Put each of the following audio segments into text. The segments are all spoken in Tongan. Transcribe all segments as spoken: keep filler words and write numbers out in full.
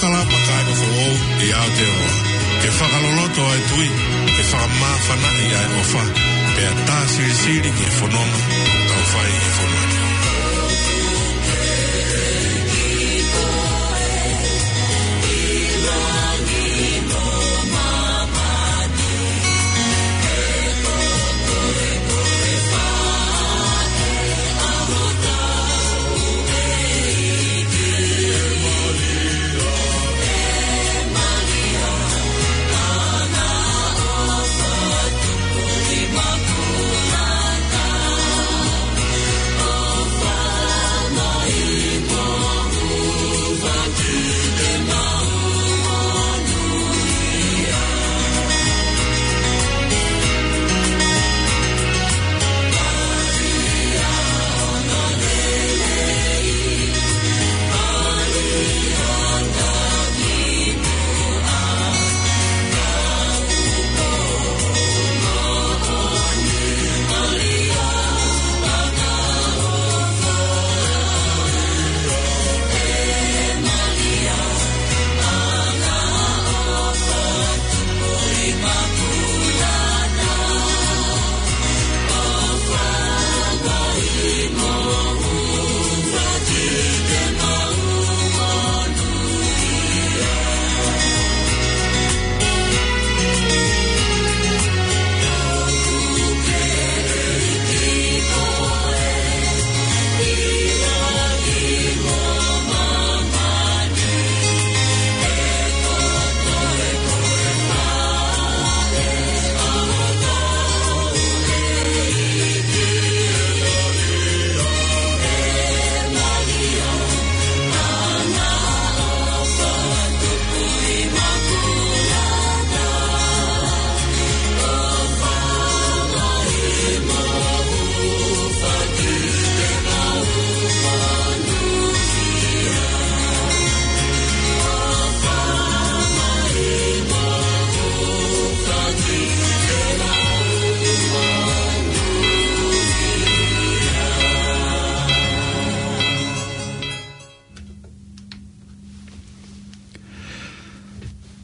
Kalama Kāinga Foʻou ʻi Aotearoa. Ke fakaloloto ʻa e tui, ke fakamāfanaʻi ʻa e ʻofa, pea tā silisili ki he fononga ʻoku tau fai ʻi he fonua ni.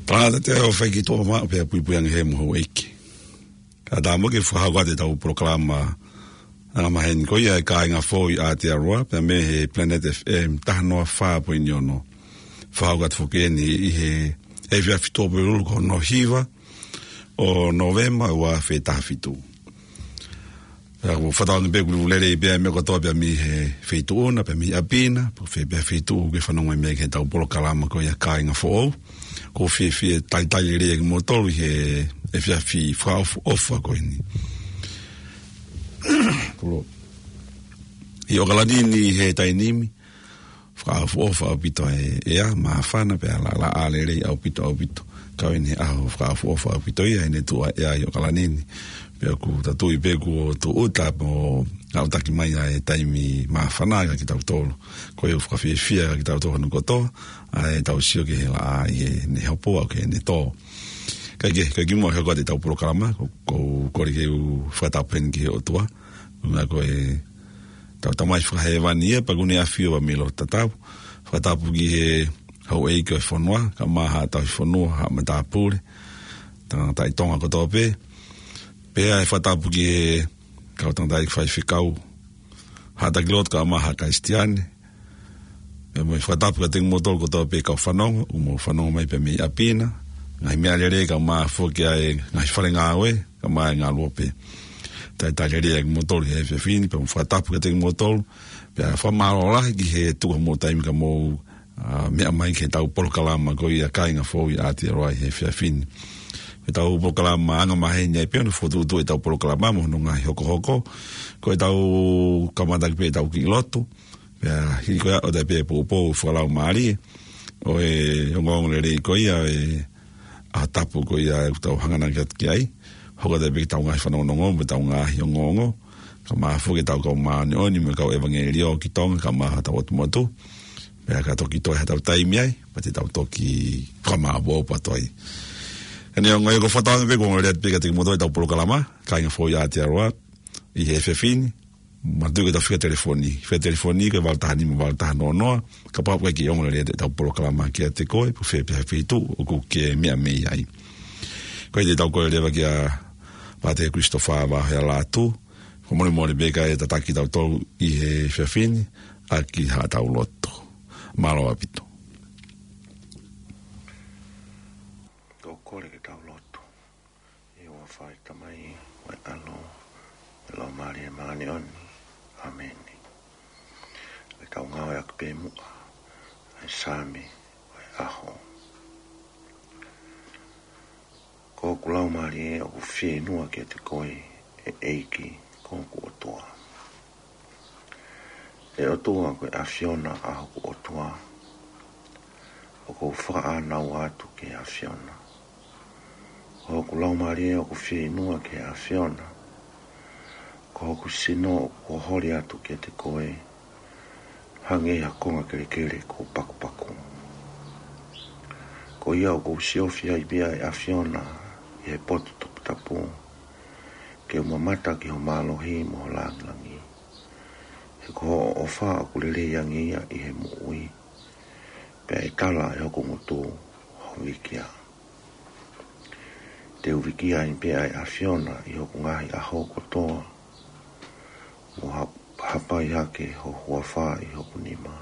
Tangata te o fai ki tō ma pea puipui ange he mo houʻeiki. Ka tā mo ke fakahoko atu ʻetau polokalama angamaheni ko ia e Kāinga Foʻou ʻi Aotearoa, pea mei he Planet F M taha noa fā poini ono. Fakahoko atu foki eni ʻi he efiafi Tuʻapulelulu ko hono hiva ʻo Nōvema ua afe taha fitu. Pea ʻoku ou fakatauange pē ʻoku lelei pē ʻa e meʻa kotoa pē mei he feituʻu na, pea mei ʻapi na, pe ko fē pē feituʻu ʻoku ke fanongo mai mei ai ki heʻetau polokalama ko ia Kāinga Foʻou. ʻOku ou fiefia talitali lelei kimoutolu ʻi he efiafi fakaʻofoʻofa ko eni. Tulo. ʻI ʻOkalani ni he taimi ni, fakaʻofoʻofa ʻaupito e ʻea, māfana pea laʻalaʻā lelei ʻaupito, ʻaupito. Kau eni he ʻaho fakaʻofoʻofa ʻaupito ia ʻi heʻene tuʻu ʻa e ʻea ʻi ʻOkalani ni. Pea ʻoku tau tui pē kuo tūʻuta mo aʻutaki mai ʻa e taimi māfana kia kitautolu. Ko ia ʻoku fakafiefia kia kitautolu hono kotoa, ʻa ʻetau sio ki he laʻā ʻi heʻene hopo ʻo aʻu ki heʻene tō. Kae kehe, kae kimuʻa ke u hoko atu ʻetau polokalama, ʻoku ou kole ke u fakatapu heni ki he ʻOtua. Ko e meʻa ko e tau Tamai fakahēvani ia, pea ʻoku ne ʻafio ʻi he loto tatau. Fakatapu ki he houʻeiki ʻo e fonua, kae ʻumaʻā haʻa tauhi fonua, haʻa matāpule, tangataʻi Tonga kotoa pē. Pea ʻe fakatapu ki he kau tangataʻeiki faifekau, haʻa taki lotu kae ʻumaʻā haʻa Kalisitiane. Pea mo e fakatapu kiate kimoutolu kotoa pē kau fanongo, ʻoku mou fanongo mai pē mei ʻapi na, ngaahi meʻalele kae ʻumaʻā foki ʻa e ngaahi fale ngāue, kae ʻumaʻā e ngaluope. Talitali lelei kimoutolu he efiafi ni, pea mo e fakatapu kiate kimoutolu, pea fakamālō lahi ki he tuku homou taimi ka mou, ā, meʻa mai ki heʻetau polokalama ko ia Kāinga Foʻou ʻi Aotearoa ʻi he efiafi ni. Ko ʻetau polokalama angamaheni ai pē ʻo ne fokotuʻutuʻu ʻetau polokalama mo hono ngaahi hokohoko. Ko ʻetau kamata ʻaki pē ʻetau kiʻi lotu. Pea hili ko ia ʻoku ʻi ai pē poupou fakalaumālie ʻo e ongoongo lelei ko ia ʻo e ʻaho tapu ko ia ʻoku tau hanganaki atu ki ai. Hoko atu pē ki heʻetau ngaahi fanongonongo mo ʻetau ngaahi ongoongo. Kae ʻumaʻā foki ʻetau kau māʻoniʻoni mo e kau ʻevangeliō ki Tonga kae ʻumaʻā hotau ʻotu motu. Pea ka toki toe haʻatau taimi ai, pea te tau toki fakamāʻopoʻopo atu ai. Eni ʻoku ou fakatauange pē kuo lelei atu pē kiate kimoutolu ʻetau polokalama, Kāinga Foʻou ʻi Aotearoa, ʻi he efiafi ni. Manatuʻi ke tau fika telefoni. Fika telefoni ko e valu taha nima valu taha noa noa, kapau ʻoku ʻikai ke ongo lelei ʻetau polokalama kiate koe, pe ko fē pē ha feituʻu ʻoku ke meʻa mei ai. Ko ia te tau kole leva kia Pātele Christopher Vaohea Lātū, fakamolemole pē kae tataki kitautolu ʻi he efiafi ni, ʻaki haʻatau lotu. Mālō ʻaupito. Tau kole ke tau lotu. ʻI he huafa ʻo e Tamai, mo e ʻAlo, mo e Laumālie Māʻoniʻoni. ʻĀmeni. Ke tau ngāueʻaki pē muʻa ʻa e Saame ʻo e ʻaho. Ko hoku laumālie ʻoku fieinua kiate koe, ʻe ʻEiki ko hoku ʻOtua. ʻE ʻOtua, ko e ʻAfiona ʻa hoku ʻOtua, ʻoku ou fakaʻānaua atu ki he ʻAfiona. Ko hoku laumālie ʻoku fieinua ki he ʻAfiona. Ko hoku sino ʻoku holi atu kiate koe, hangē ha konga kelekele kuo pakupaku. Ko ia ʻoku ou siofi ai pē ʻa e ʻAfiona ʻi he potu toputapu, ke u mamata ki ho mālohi mo ho lāngilangi. He ko hoʻo ʻofa ʻoku lelei ange ia ʻi he moʻui, pea ʻe tala ʻe hoku ngutu ho vikia. Te u vikia ai pē ʻa e ʻAfiona ʻi hoku ngaahi ʻaho kotoa, mo ha-, hapai hake ho huafa ʻi hoku nima.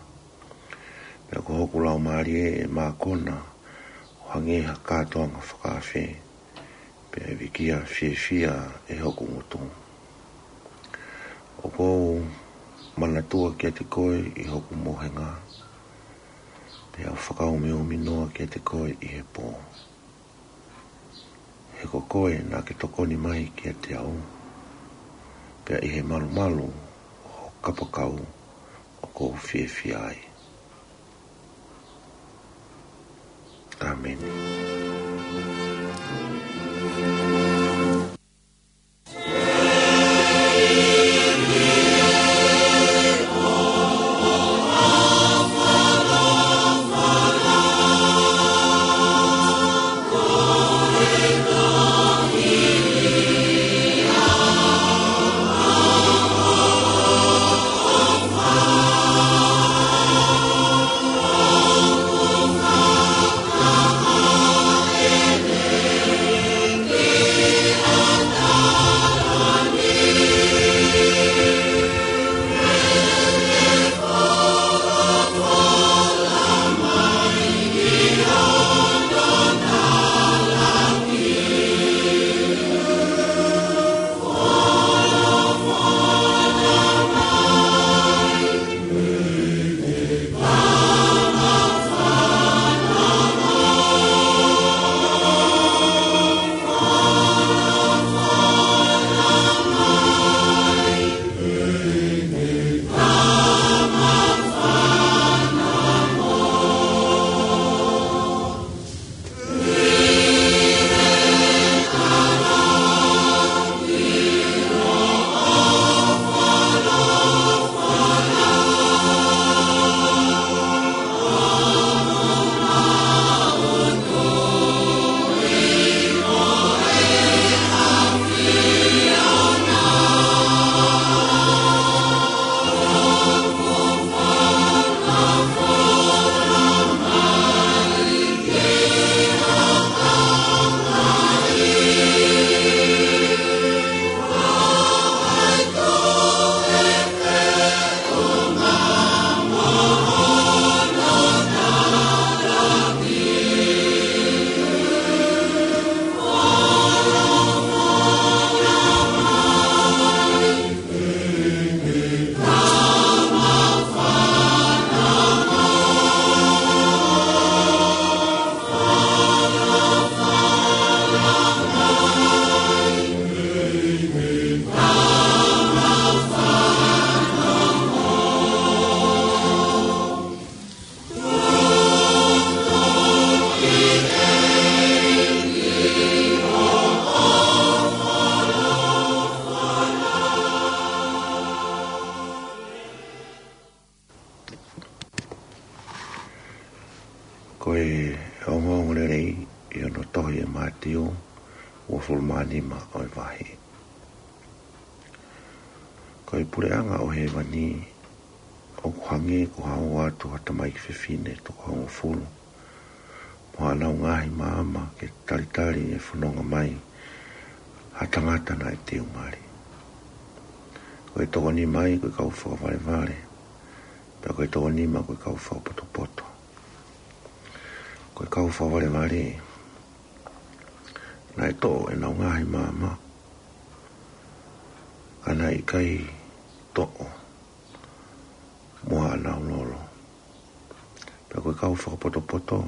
Pea ko hoku laumālie ʻe mākona ʻo hangē ha kātoanga fakaafe, pea ʻe vikia fiefia ʻe hoku ngutu. ʻOku ou manatua kiate koe ʻi hoku mohenga, pea u fakaʻumiʻumi noa kiate koe ʻi he pō. He ko koe naʻa ke tokoni mai kiate au, pea ʻi he malumalu ho kapakau ʻoku ou fiefia ai. ʻĀmeni. Ko e ongoongolelei ʻi hono tohi ʻe Mātiu, uofulu mā nima ʻo e vahe. Ko e puleʻanga ʻo hēvani ʻoku hangē ko ha ō atu ha tamaiki fefine toko hongofulu mo haʻanau ngaahi maama ke talitali e fononga mai ha tangata naʻe teu mali. Ko e toko nima ia ko e kau fakavalevale, pea ko e toko nima ko e kau fakapotopoto. Ko e kau fakavalevale naʻe toʻo ʻenau ngaahi maama, ka naʻe ʻikai toʻo mo haʻanau lolo. Pea ko e kau fakapotopoto,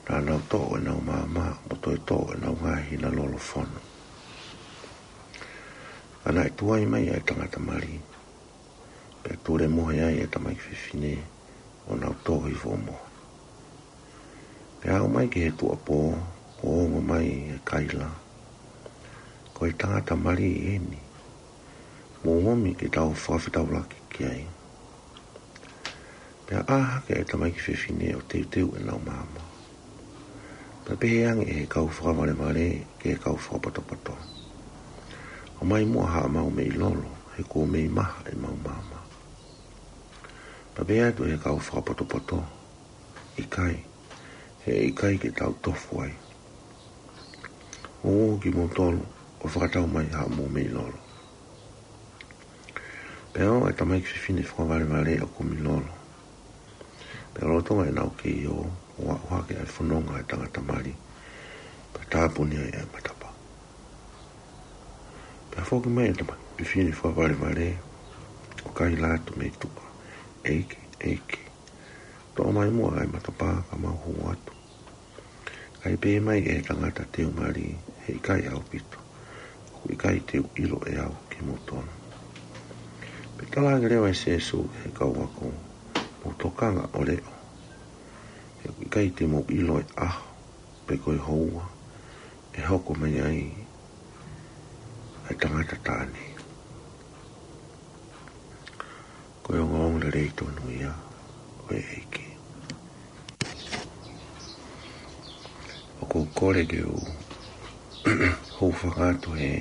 naʻa nau toʻo ʻenau maama mo toe toʻo ʻenau ngaahi hina lolo fonu. Ka naʻe tuai mai ʻa e tangata mali, pea tulemohe ai ʻa e tamaiki fefine ʻo nau tō hifo ʻo mohe. Pea aʻu mai ki he tuʻuapō, ʻo ongo mai ʻa Kaila, ko e tangata mali eni, mou ōmi ke tau fakafetaulaki ki ai. Pea ʻā hake ʻa e tamaiki fefine ʻo teuteu ʻenau maama. Pea pehē ange ʻe he kau fakavalevale ki he kau fakapotopoto, ʻOmai muʻa haʻamau meʻi lolo, he kuo mei maha ʻemau maama. Pea pehē atu ʻe he kau fakapotopoto, ʻIkai, he ʻikai ke tau tofu ai. Mou ō kimoutolu ʻo fakatau mai haʻamou meʻi lolo. Pea ō ʻa e tamaiki fefine fakavalevale ʻo kumi lolo. Pea lolotonga ʻenau kei ō, ʻo aʻu hake ʻa e fononga ʻa e tangata mali, pea tāpuni ai ʻa e matapā. Pea foki mai ʻa e tamaiki fefine fakavalevale, ʻo kaila atu mei tuʻa, ʻEiki, ʻEiki, toʻo mai muʻa ʻa e matapā ka mau hū atu. Ka ʻi pehē mai ʻe he tangata teu mali, He ʻikai ʻaupito, ʻoku ʻikai te u ʻilo ʻe au kimoutolu. Pea talaange leva ʻe Sēsū ki he kau ako, Mou tokanga ʻo leʻo, he ʻoku ʻikai te mou ʻilo e ʻaho, pe ko e houa ʻe hoko mai ai ʻa e tangata taʻane. Ko e ongoongolelei tonu ia ʻo e ʻEiki. ʻOku ou kole ke u hūfanga atu he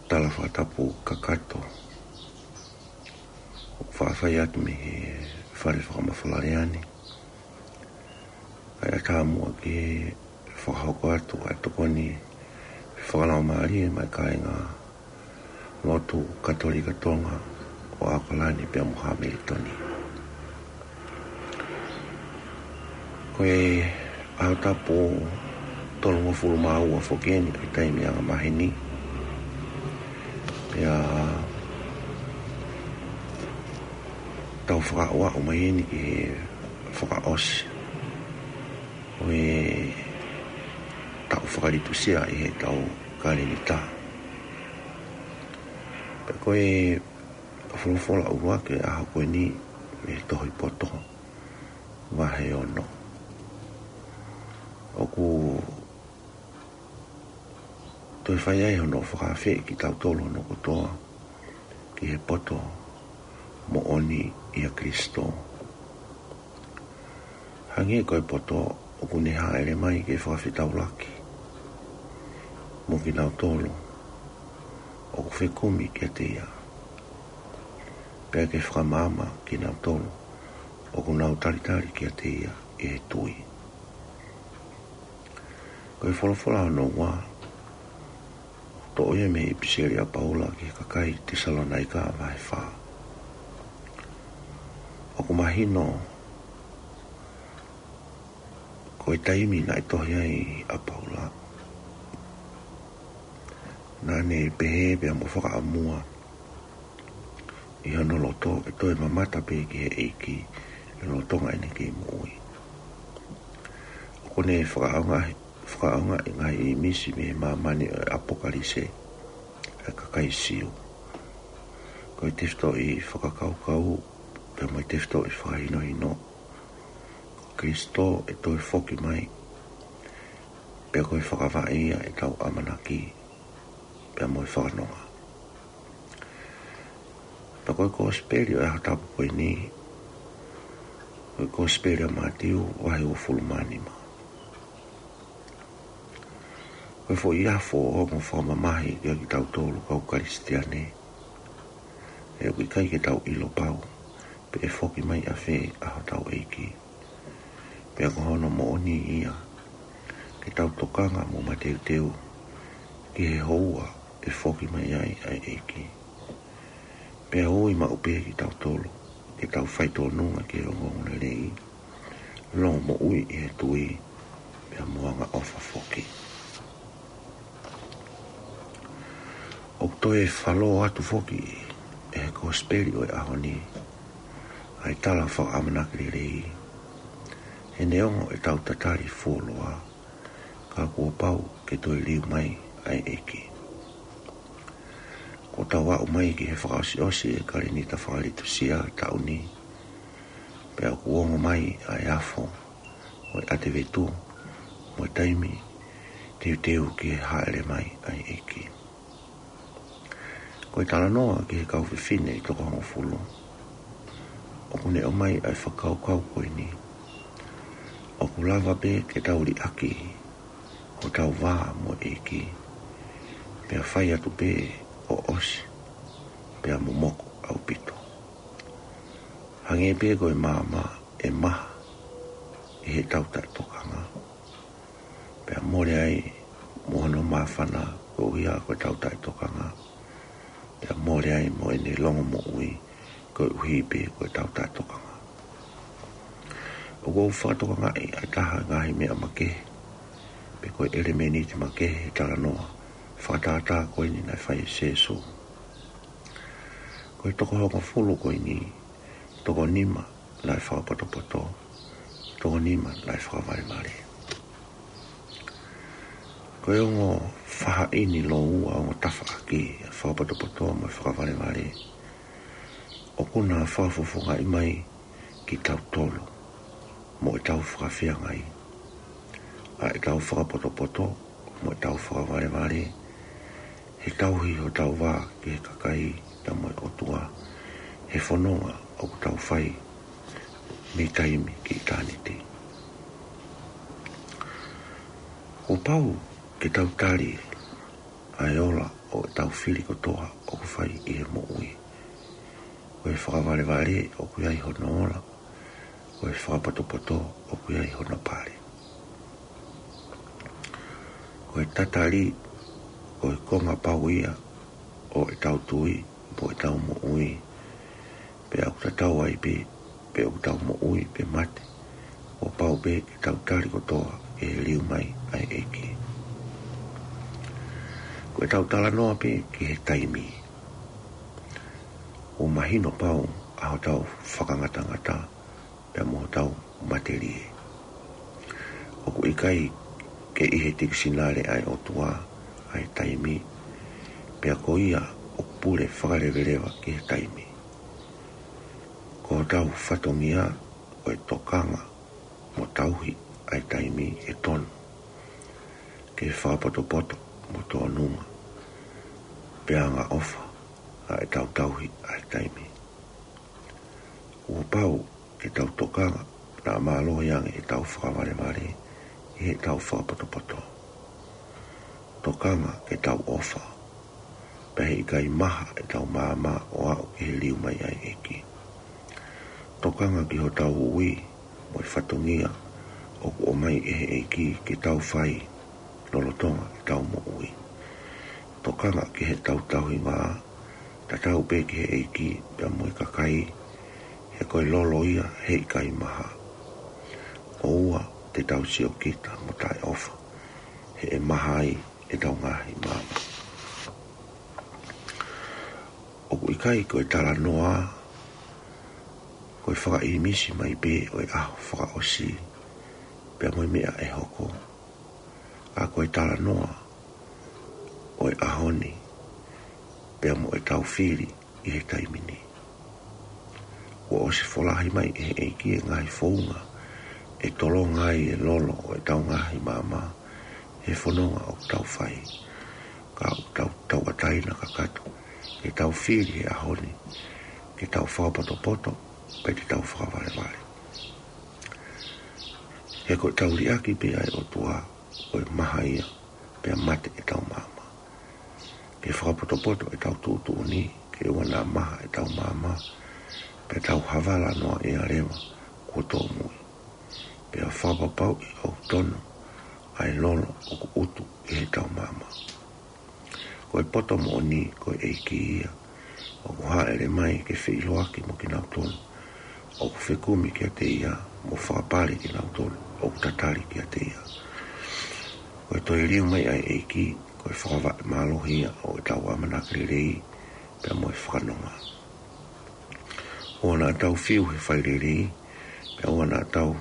tala fakatapu kakato ʻoku faʻa fai atu mei he fale fakamafola Leane. Kae ʻatā muʻa ke fakahoko atu ʻa e tokoni fakalaumālie maʻa e kāinga lotu Katolika Tonga ʻo ʻAokalani pea mo Hamilitoni. Ko e ʻaho tapu tolungofulu mā ua foki eni ʻa e taimi angamaheni. Pea tau fakaʻoaʻo mai eni ki he fakaʻosi ʻo e taʻu fakalitusia ʻi he taʻu kalenitā. Pea ko e folofola ʻuluaki ʻo e ʻaho ko eni mei he Tohi Poto, vahe ono. ʻOku toe fai ai hono fakaafeʻi kitautolu hono kotoa ki he poto moʻoni ʻia Kalaisi. Hangē ko e poto ʻoku ne hāʻele mai ke fakafetaulaki mo kinautolu ʻoku fekumi kiate ia, pea ke fakamaama kinautolu ʻoku nau talitali kiate ia ʻi he tui. Ko e folofola hono ua, toʻo ia mei he ʻipiseli ʻa Paula ki he kakai Tesalonaika vahe fā. ʻOku mahino ko e taimi naʻe tohi ai ʻa Paula, naʻa ne pehē pea mo fakaʻamua ʻi hono loto ʻe toe mamata pē ki he ʻEiki ʻi he lolotonga ʻene kei moʻui. ʻOku ne fakaʻaongaʻi, fakaʻaongaʻi e ngaahi ʻīmisi mei he māmani ʻo e ʻApokalipse ʻa e kakai Siu. Ko e tefitoʻi fakakaukau pea mo e tefitoʻi fakahinohino, ko Kalaisi ʻe toe foki mai, pea ko e fakavaʻe ia ʻetau ʻamanaki pea mo e fakanonga. Pea ko e kosipeli ʻo e ʻaho tapu ko eni, ko e kosipeli ʻa Mātiu vahe uofulu mā nima. Ko e foʻi afo ʻo e ongo fakamamahi kiate kitautolu kau Kalisitiane, he ʻoku ʻikai ke tau ʻilo pau pe ʻe foki mai ʻafē ʻa hotau ʻEiki. Pea ko hono moʻoni ia, ke tau tokanga mo mateuteu ki he houa ʻe foki mai ai ʻa e ʻEiki. Pea ui maʻu pē kitautolu ke tau faitōnunga ki he ongoongolelei, longomoʻui ʻi he tui, pea mo angaʻofa foki. ʻOku toe falō atu foki ʻe he Kosipeli ʻo e ʻaho ni ʻa e tala fakaʻamanaki lelei, he neongo ʻetau tatali fuoloa, ka kuo pau ke toe liliu mai ʻa e ʻEiki. Kuo tau aʻu mai ki he fakaʻosiʻosi ʻo e kalēnita fakalitusia taʻu ni, pea ʻoku ongo mai ʻa e afo ʻo e ʻAtevetu mo e taimi teuteu ki he hāʻele mai ʻa e ʻEiki. Ko e talanoa ki he kau fefine ʻe toko hongofulu, ʻoku ne ʻomai ʻa e fakakaukau ko eni: ʻOku lava pē ke tau liʻaki hotau vā mo e ʻEiki, pea fai atu pē ʻo ʻosi, pea momoko ʻaupito. Hangē pē ko e maama ʻe maha ʻi heʻetau taʻetokanga, pea mole ai mo hono māfana koeʻuhi ko ʻetau taʻetokanga, pea mole ai mo ʻene longomoʻui koeʻuhi pē ko ʻetau taʻetokanga. ʻOku ou fakatokangaʻi ʻa e taha e ngaahi meʻa makehe, pe ko e ʻelemēniti makehe he talanoa fakatātā ko eni naʻe fai ʻe Sēsū. Ko e toko hongofulu ko eni, toko nima naʻe fakapotopoto, toko nima naʻe fakavalevale. Ko e ongo fahaʻini lōua, ongo tafaʻaki ʻa e fakapotopoto mo e fakavalevale, ʻoku na fakafofongaʻi mai kitautolu mo ʻetau fakafeangai. ʻA ʻetau fakapotopoto mo ʻetau fakavalevale, he tauhi hotau vā ki he kakai pea mo e ʻOtua, he fononga ʻoku tau fai mei taimi ki ʻitāniti. Kuo pau ke tau tali ʻa e ola ʻo ʻetau fili kotoa ʻoku fai ʻi he moʻui. Ko e fakavalevale ʻoku ʻi ai hono ola, ko e fakapotopoto ʻoku ʻi ai hono pale. Ko e tatali, ko e konga pau ia ʻo ʻetau tui mo ʻetau moʻui. Pea ʻoku tatau ai pē pe ʻoku tau moʻui pe mate, kuo pau pē ke tau tali kotoa ki he liliu mai ʻa e ʻEiki. Ko ʻetau talanoa pē ki he taimi, kuo mahino pau ʻa hotau fakangatangata pea mo hotau matelie. ʻOku ʻikai ke ʻi he tikisinale ʻa e ʻOtua ʻa e taimi, pea ko ia ʻoku pule fakaleveleva ki he taimi. Ko hotau fatongia ko e tokanga mo tauhi ʻa e taimi ʻe tonu ki he fakapotopoto mo tōnunga, pea angaʻofa ʻa ʻetau tauhi ʻa e taimi. Kuo pau ke tau tokanga naʻa mālohi ange ʻetau fakavalevale ʻi heʻetau fakapotopoto. Tokanga ke tau ʻofa, pea heʻikai maha ʻetau maama ʻo aʻu ki he liliu mai ʻa e ʻEiki. Tokanga ki hotau ui mo e fatongia ʻoku ʻomai ʻe he ʻEiki ke tau fai lolotonga ʻetau moʻui. Tokanga ki heʻetau tauhi vā, tatau pē ki he ʻEiki pea mo e kakai, he ko e lolo ia heʻikai maha. ʻOua te tau siokita mo taʻeʻofa, he ʻe maha ai ʻetau ngaahi maama. ʻOku ʻikai ko e talanoa ko e fakaʻīmisi mai pē ʻo e ʻaho fakaʻosi pea mo e meʻa ʻe hoko, ka ko e talanoa ʻo e ʻaho ni pea mo ʻetau fili ʻi he taimi ni. Kuo ʻosi folahi mai ʻe he ʻEiki e ngaahi founga ʻe tolonga ai e lolo ʻo ʻetau ngaahi maama he fononga ʻoku tau fai. Ka ʻoku tau tauʻatāina kakato ke tau fili he ʻaho ni, ke tau fakapotopoto pe te tau fakavalevale. He ko ʻetau liʻaki pē ʻa e ʻOtua, ko e maha ia pea mate ʻetau maama. Ke fakapotopoto ʻetau tuʻutuʻuni, ke ʻoua naʻa maha ʻetau maama, pea tau havala noa ʻia leva kuo tōmui. Pea fakapapauʻi ʻoku tono ʻa e lolo ʻoku ʻutu ʻi heʻetau maama. Ko e poto moʻoni, ko e ʻEiki ia, ʻoku hāʻele mai ke feʻiloaki mo kinautolu ʻoku fekumi kiate ia, mo fakapale kinautolu ʻoku tatali kiate ia. Ko e toe liliu mai ʻa e ʻEiki, ko e fakavaʻe mālohi ia ʻo ʻetau ʻamanaki lelei, pea mo e fakanonga. ʻOua naʻa tau fiu he fai lelei, pea ʻoua naʻa tau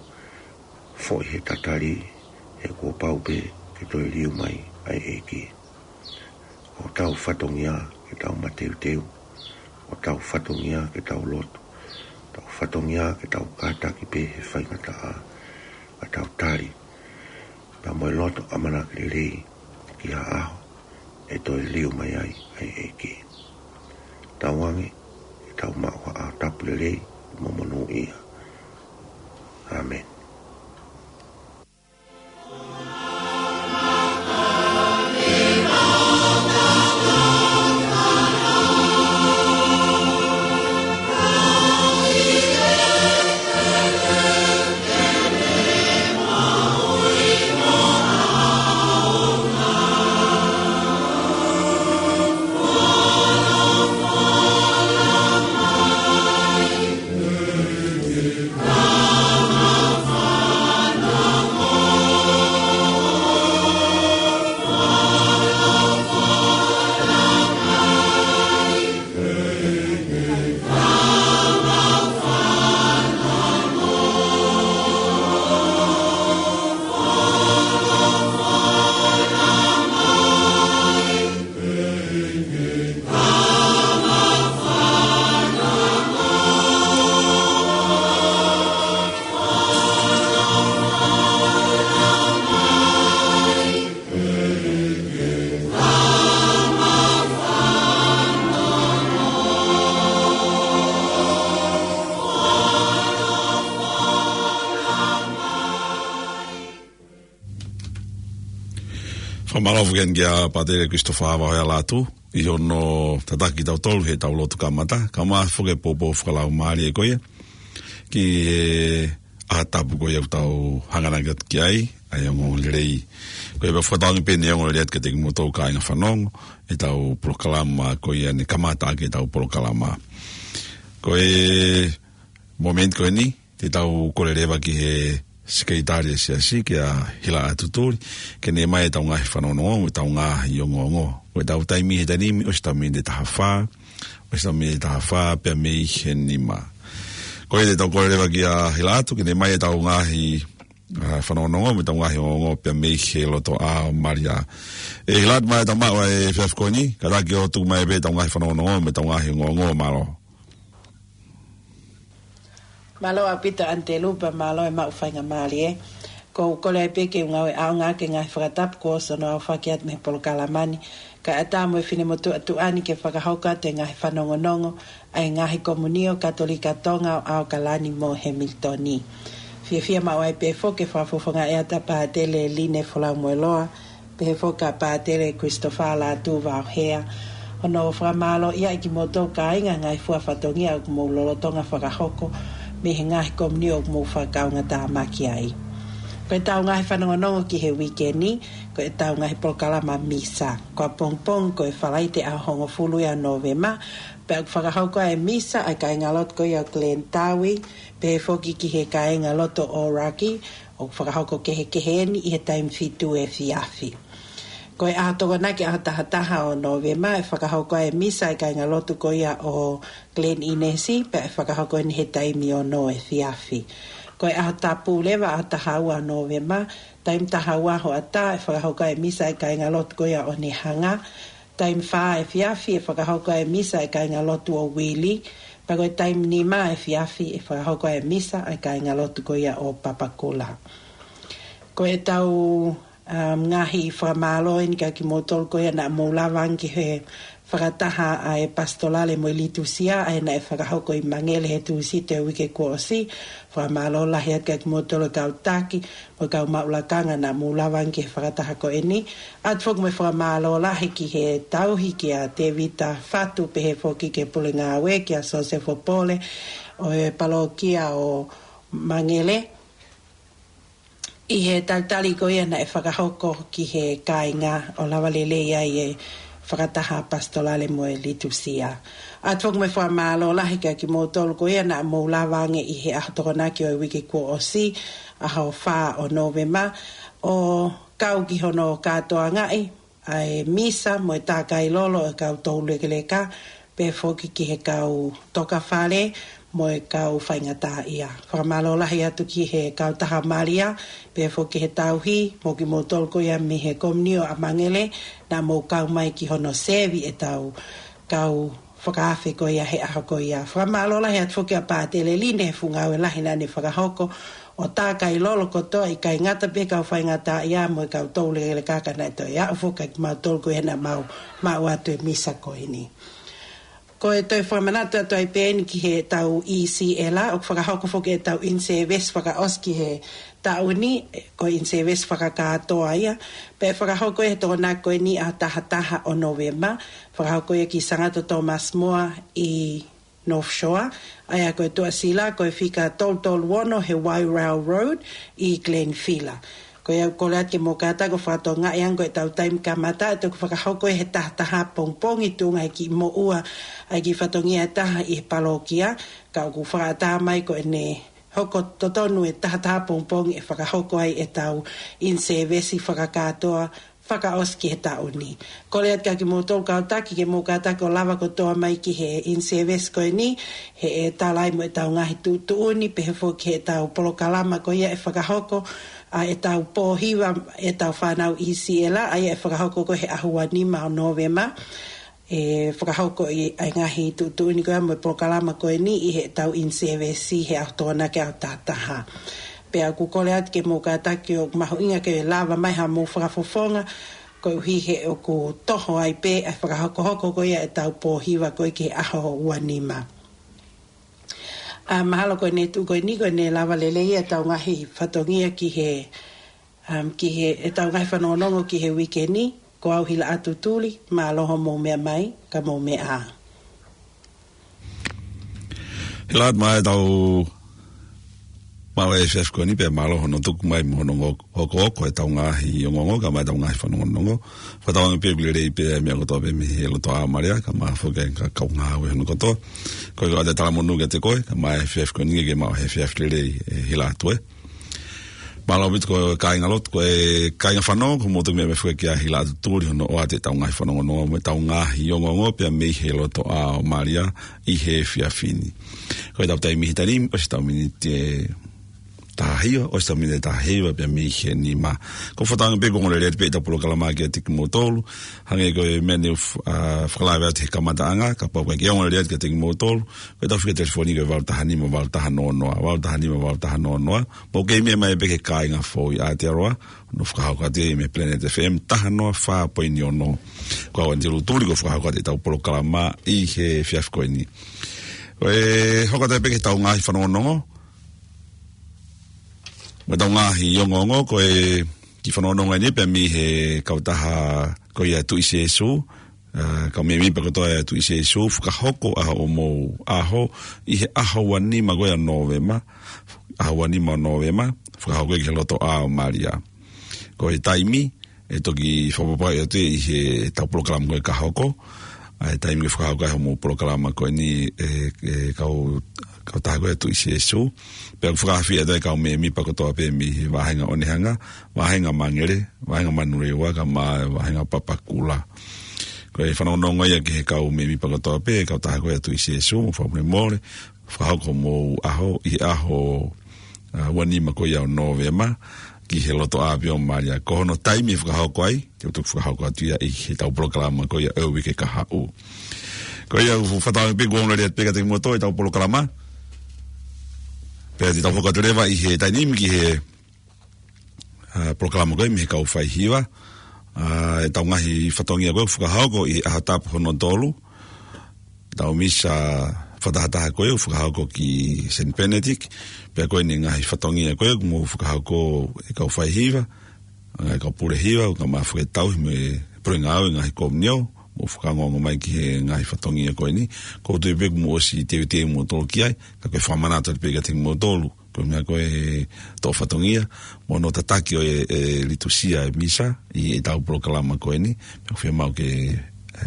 foʻi he tatali, he kuo pau pē ke toe liliu mai ʻa e ʻEiki. Ko hotau fatongia ke tau mateuteu, ko hotau fatongia ke tau lotu, hotau fatongia ke tau kātaki pē he faingataʻa, ka tau tali pea mo e loto ʻamanaki lelei ki ha ʻaho ʻe toe liliu mai ai ʻa e ʻEiki. Tauange ke tau maʻu ha ʻaho tapu lelei mo monūʻia. ʻĀmeni. Fakamālō foki ange kia Pātele Christopher Vavaʻohea Lātū, ʻi hono tataki kitautolu heʻetau lotu kamata, kae ʻumaʻā foki e poupou fakalaumālie ko ia ki he ʻaho tapu ko ia ʻoku tau hanganaki atu ki ai, ʻa e ongoongolelei. Ko ia pea fakatauange pē ʻene ongoongolelei atu kiate kimoutolu kāinga fanongo ʻetau polokalama ko ia ne kamata ʻaki ʻetau polokalama. Ko e momeniti ko eni, te tau kole leva ki he sekelitali ʻo e siasi, kia Hilaʻatu Tuli, ke ne ʻomai ʻetau ngaahi fanongonongo, ʻetau ngaahi ongoongo. Ko ʻetau taimi he taimi ni, ʻosi ʻetau miniti ʻe taha fā, ʻosi ʻetau miniti ʻe taha fā, pea mei he nima. Ko ia te tau kole leva kia Hilaʻatu, ke ne ʻomai ʻetau ngaahi, ʻa, fanongonongo, mo ʻetau ngaahi ongoongo, pea mei he lotoʻā ʻo Malia. ʻE Hilaʻatu, mai tau maʻu ʻa e efiafi ko eni, kātaki ʻo tuku mai pē ʻetau ngaahi fanongonongo, mo ʻetau ngaahi ongoongo, mālō. Mālō ʻaupito ʻAnitelū pea mālō e maʻu faingamālie. ʻOku ou kole ai pē ke u ngāue ʻaonga ki he ngaahi fakatapu kuo ʻosi hono aofaki atu mei he polokalama ni, kae ʻatā mo e finemotuʻa tuʻa ni ke fakahoko atu e ngaahi fanongonongo ʻa e ngaahi komunio Katolika Tonga ʻo ʻAokalani mo Hemilitoni. Fiefia maʻu ai pē foki ke fakafofongaʻi atu ʻa Pātele Line Folaumoeloa, pehē foki kia Pātele Christopher Lātū Vavaʻohea, hono fakamālōʻia ʻa kimoutolu kāinga he ngaahi fua fatongia ʻoku mou lolotonga fakahoko mei he ngaahi komunio ʻoku mou fakakaungātāmaki ai. Ko ʻetau ngaahi fanongonongo ki he uike ni, ko ʻetau ngaahi polokalama misa. Ko ʻapongipongi ko e Falaite ʻaho hongofulu ia ʻo Nōvema, pea ʻoku fakahoko ai e misa ʻa e kāingalotu ko ia ʻo Glen Tawi, pehē foki ki he kāingalotu ʻo Raki, ʻoku fakahoko kehekehe eni ʻi he taimi fitu efiafi. Ko e ʻaho Tokonaki, ʻaho taha taha ʻo Nōvema, ʻe fakahoko ai e misa ʻa e kāingalotu ko ia ʻo Glen Innes, pea ʻe fakahoko eni he taimi ono efiafi. Ko e ʻaho Tapu leva, ʻaho taha ua ʻo Nōvema, taimi taha ua hoʻatā, ʻe fakahoko ai e misa ʻa e kāingalotu ko ia ʻo Onehunga, taimi fā efiafi ʻe fakahoko ai e misa ʻa e kāingalotu ʻo Wheelie, pea ko e taimi nima efiafi ʻe fakahoko ai e misa ʻa e kāingalotu ko ia ʻo Papakura. Ko ʻetau Um, ngaahi fakamālō eni kia kimoutolu ko ia naʻa mou lava ange ki he fakataha ʻa e Pasitolale mo e Litusia, ʻa ia naʻe fakahoko ʻi Mangele he Tūsite ʻo e uike kuo ʻosi. Fakamālō lahi atu kia kimoutolu e kau taki, mo e kau maʻu lakanga naʻa mou lava ange ki he fakataha ko eni. ʻOatu foki mo e fakamālō lahi ki he tauhi kia Tevita Fatu, pehē foki ki he pule ngāue kia Sosefo Pole ʻo e palokia ʻo Mangele. ʻI he talitali ko ia naʻe fakahoko ki he kāinga ʻo lava lelei ai e fakataha Pasitolale mo e Litusia. ʻOatu foki mo e fakamālō lahi kia kimoutolu ko ia naʻa mou lava ange ʻi he ʻaho Tokonaki ʻo e uike kuo ʻosi, ʻaho fā ʻo Nōvema, ʻo kau ki hono kātoangaʻi ʻa e misa mo e tākai lolo ʻo e kau toulekeleka, pehē foki ki he kau tokafale mo e kau faingataʻaʻia. Fakamālō lahi atu ki he kautaha Malia, pehē foki ki he tauhi, mo kimoutolu ko ia mei he Komiunio ʻa Mangele, naʻa mou kau mai ki hono sevi ʻetau kau fakaafe ko ia he ʻaho ko ia. Fakamālō lahi atu foki ʻa Pātele Line he fuʻu ngāue lahi naʻa ne fakahoko, ʻo tākai lolo kotoa, ʻikai ngata pē he kau faingataʻaʻia mo e kau toulekeleka ka naʻe toe aʻu foki kimautolu ko ia naʻa mau maʻu atu e misa ko eni. Ko e toe fakamanatu atu ai pē eni ki heʻetau ʻi Siela, ʻoku fakahoko foki ʻetau in-service fakaʻosi ki he taʻu ni, ko e in-service fakakātoa ia, pea ʻe fakahoko ia he Tokonaki ko eni ʻaho taha taha ʻo Nōvema, fakahoko ia ki Sangata Thomas More ʻi North Shore, ʻa ia ko e tuʻasila ko e fika tolu tolu ono he Wairau Road ʻi Glenville. Ko ia ʻoku kole atu ke mou kātaki ʻo fakatokangaʻi ange ko ʻetau taimi kamata, ʻe toki fakahoko ia he taha taha pongipongi tuʻunga he kiʻi moʻua ʻa e kiʻi fatongia ʻe taha ʻi he palokia, ka ʻoku fakaʻatā mai ko ʻene hoko totonu e taha taha pongipongi ʻe fakahoko ai ʻetau in-service fakakātoa fakaʻosi ki he taʻu ni. Kole atu kia kimoutolu kau taki ke mou kātaki ʻo lava kotoa mai ki he in-service ko eni, he ʻe tala ai mo ʻetau ngaahi tuʻutuʻuni, pehē foki ki heʻetau polokalama ko ia ʻe fakahoko, ʻa ʻetau pōhiva ʻetau fānau ʻi Siela, ʻa ia ʻe fakahoko ko e he ʻaho ua nima ʻo Nōvema. ʻE fakahoko ʻi ai ngaahi tuʻutuʻuni ko ia mo e polokalama ko eni ʻi heʻetau in-service he ʻaho Tokonaki ʻaho taha taha. Pea ʻoku kole atu ke mou kātaki ʻo mahuʻinga ke lava mai haʻamou fakafofonga, koeʻuhi he ʻoku toho ai pē ʻa e fakahokohoko ko ia ʻetau pōhiva ko ia ki he ʻaho ua nima. ʻA, mahalo ko ʻene tuʻu ko eni ko ʻene lava lelei ʻetau ngaahi fatongia ki he, um, ki he, ʻetau ngaahi fanongonongo ki he uike ni, ko au Hilaʻatu Tuli, mālō hoʻomou meʻa mai, ka mou meʻa ā. Hilaʻatu, mai tau maʻu e efiafi ko eni pea mālō hono tuku mai mo hono ngok-, hokohoko ʻetau ngaahi ongoongo, kae ʻumaʻā ʻetau ngaahi fanongonongo. Fakatauange pē ʻoku lelei pē ʻa e meʻa kotoa pē mei he loto ʻa Malia, kae ʻumaʻā foki e ka-, kau ngāue hono kotoa. Ko e ʻoatu e talamonū kiate koe, kae ʻumaʻā e efiafi ko eni ke maʻu he efiafi lelei, ʻe Hilaʻatu ē. Mālō ʻaupito ko e kāinga lotu, ko e kāinga fanongo, ko motu me me fue kia Hilaʻatu Tuli hono ʻoatu ʻetau ngaahi fanongonongo mo ʻetau ngaahi ongoongo pea mei he loto ʻa Malia ʻi he efiafi ni. Ko ʻetau taimi he taimi, ʻosi ʻetau miniti ʻe taha hiva, ʻosi ʻetau miniti ʻe taha hiva pea mei he nima. Ko e fakatauange pē ʻoku ongo lelei atu pē ʻetau polokalama kiate kimoutolu, hangē ko e meʻa ne u f-, ʻa, fakalave atu he kamataʻanga, kapau ʻoku ʻikai ke ongo lelei atu kiate kimoutolu, ko ʻetau fika telefoni ko e valu taha nima, valu taha noa noa, valu taha nima, valu taha noa noa. Mou kei meʻa mai pē ki he kāinga foʻou ʻi Aotearoa, ʻo fakahoko atu ia mei Planet F M taha noa fā poini ono. Ko au Antilu Tuli ʻoku fakahoko atu ʻetau polokalama ʻi he efiafi ko eni. Ko e hoko atu pē ki heʻetau ngaahi fanongonongo mo ʻetau ngaahi ongoongo, ko e kiʻi fanongonongo eni pē mei he kautaha ko ia Tuʻi Sēsū, ʻa, kau mēmipa kotoa ʻa e Tuʻi Sēsū, fakahoko ʻa hoʻomou ʻaho ʻi he ʻaho ua nima ko ia ʻo Nōvema, ʻaho ua nima ʻo Nōvema, fakahoko ia ki he loto ʻa Malia. Ko e taimi, ʻe toki fakapapauʻi atu ʻi heʻetau polokalama ko ē ka hoko, ʻa e taimi ke fakahoko ai hoʻomou polokalama ko eni ʻe, ʻe kau, kautaha ko ia Tuʻi Sēsū. Pea ʻoku fakaafeʻi atu ai kau mēmipa kotoa pē mei he vāhenga ʻo Onehunga, vāhenga Mangere, vāhenga Manurewa, kae ʻumaʻā vāhenga Papakura. Ko e fanongonongo ia ki he kau mēmipa kotoa pē, kautaha ko ia Tuʻi Sēsū, mo fakamolemole, fakahoko hoʻomou ʻaho, ʻi he ʻaho, ʻa, ua nima ko ia ʻo Nōvema, ki he loto ʻa pē ʻo Malia. Ko hono taimi ʻe fakahoko ai, te u toki fakahoko atu ia ʻi heʻetau polokalama ko ia ʻo e uike ka haʻu. Ko ia ʻoku fakatauange pē ʻoku ongo lelei atu pē kiate kimoutolu ʻetau polokalama. Pea te tau hoko atu leva ʻi he taimi ni ki he, ʻa, polokalama ko ē mei he kau faihiva. ʻA, ʻetau ngaahi fatongia ko ē ʻoku fakahoko ʻi he ʻaho Tapu hono tolu. ʻEtau misa fakatahataha ko ē ʻoku fakahoko ki Saint Benedict. Pea ko eni e ngaahi fatongia ko ē ʻoku mou fakahoko ʻe kau faihiva, ʻa e kau pule hiva, ʻoku mou fakatauhi mo e pule ngāue ngaahi komiunio, mou fakaongoongo mai ki he ngaahi fatongia ko eni. ʻOku ou tui pē ʻoku mou ʻosi teuteu kimoutolu ki ai, ka ko e fakamanatu atu pē kiate kimoutolu. Ko e meʻa ko ē ʻe toʻo fatongia, mo hono tataki ʻo e, e litusia e misa, ʻi heʻetau polokalama ko eni, pea ʻoku fiemaʻu ke, e,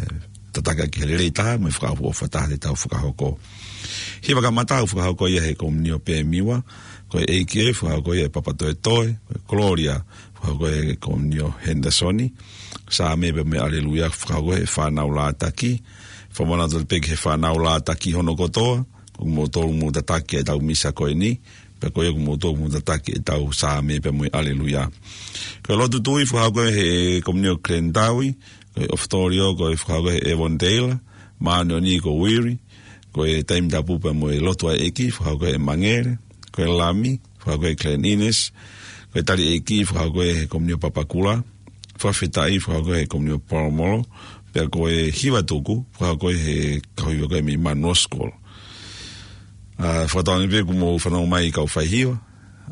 tataki ʻaki he lelei taha, mo e fakaʻofoʻofa taha ʻetau fakahoko. Hiva kamata ʻoku fakahoko ia he komiunio pē miua, ko e ʻEiki ē, fakahoko ia ʻe Papatoetoe, ko e Gloria, fakahoko ʻe he komiunio Henderson, Saame pea mo e Aleluia, fakahoko ʻe he fānau Lātaki, fakamanatu pē ki he fānau Lātaki hono kotoa, ʻoku mou tolu mou tataki ʻetau misa ko eni, pea ko ia ʻoku mou tolu mou tataki ʻetau Saame pea mo e Aleluia. Ko e lotu tui fakahoko ʻe he komiunio Glendower, ko e ʻofitolio ko e fakahoko ʻe Evondale, māʻoniʻoni ko Wiri, ko e taimi tapu pea mo e lotu ʻa e ʻEiki fakahoko ʻe Mangere, ko e lami fakahoko ʻe Glen Innes, ko e tali ʻEiki fakahoko ʻe he komiunio Papakura, fakafetaʻi fakahoko ʻe he komiunio Polomolo, pea ko e hiva tuku fakahoko ʻe he kau hiva ko ē mei Manuoskol. ʻA, fakatauange pē ʻoku mou fanongo mai kau faihiva,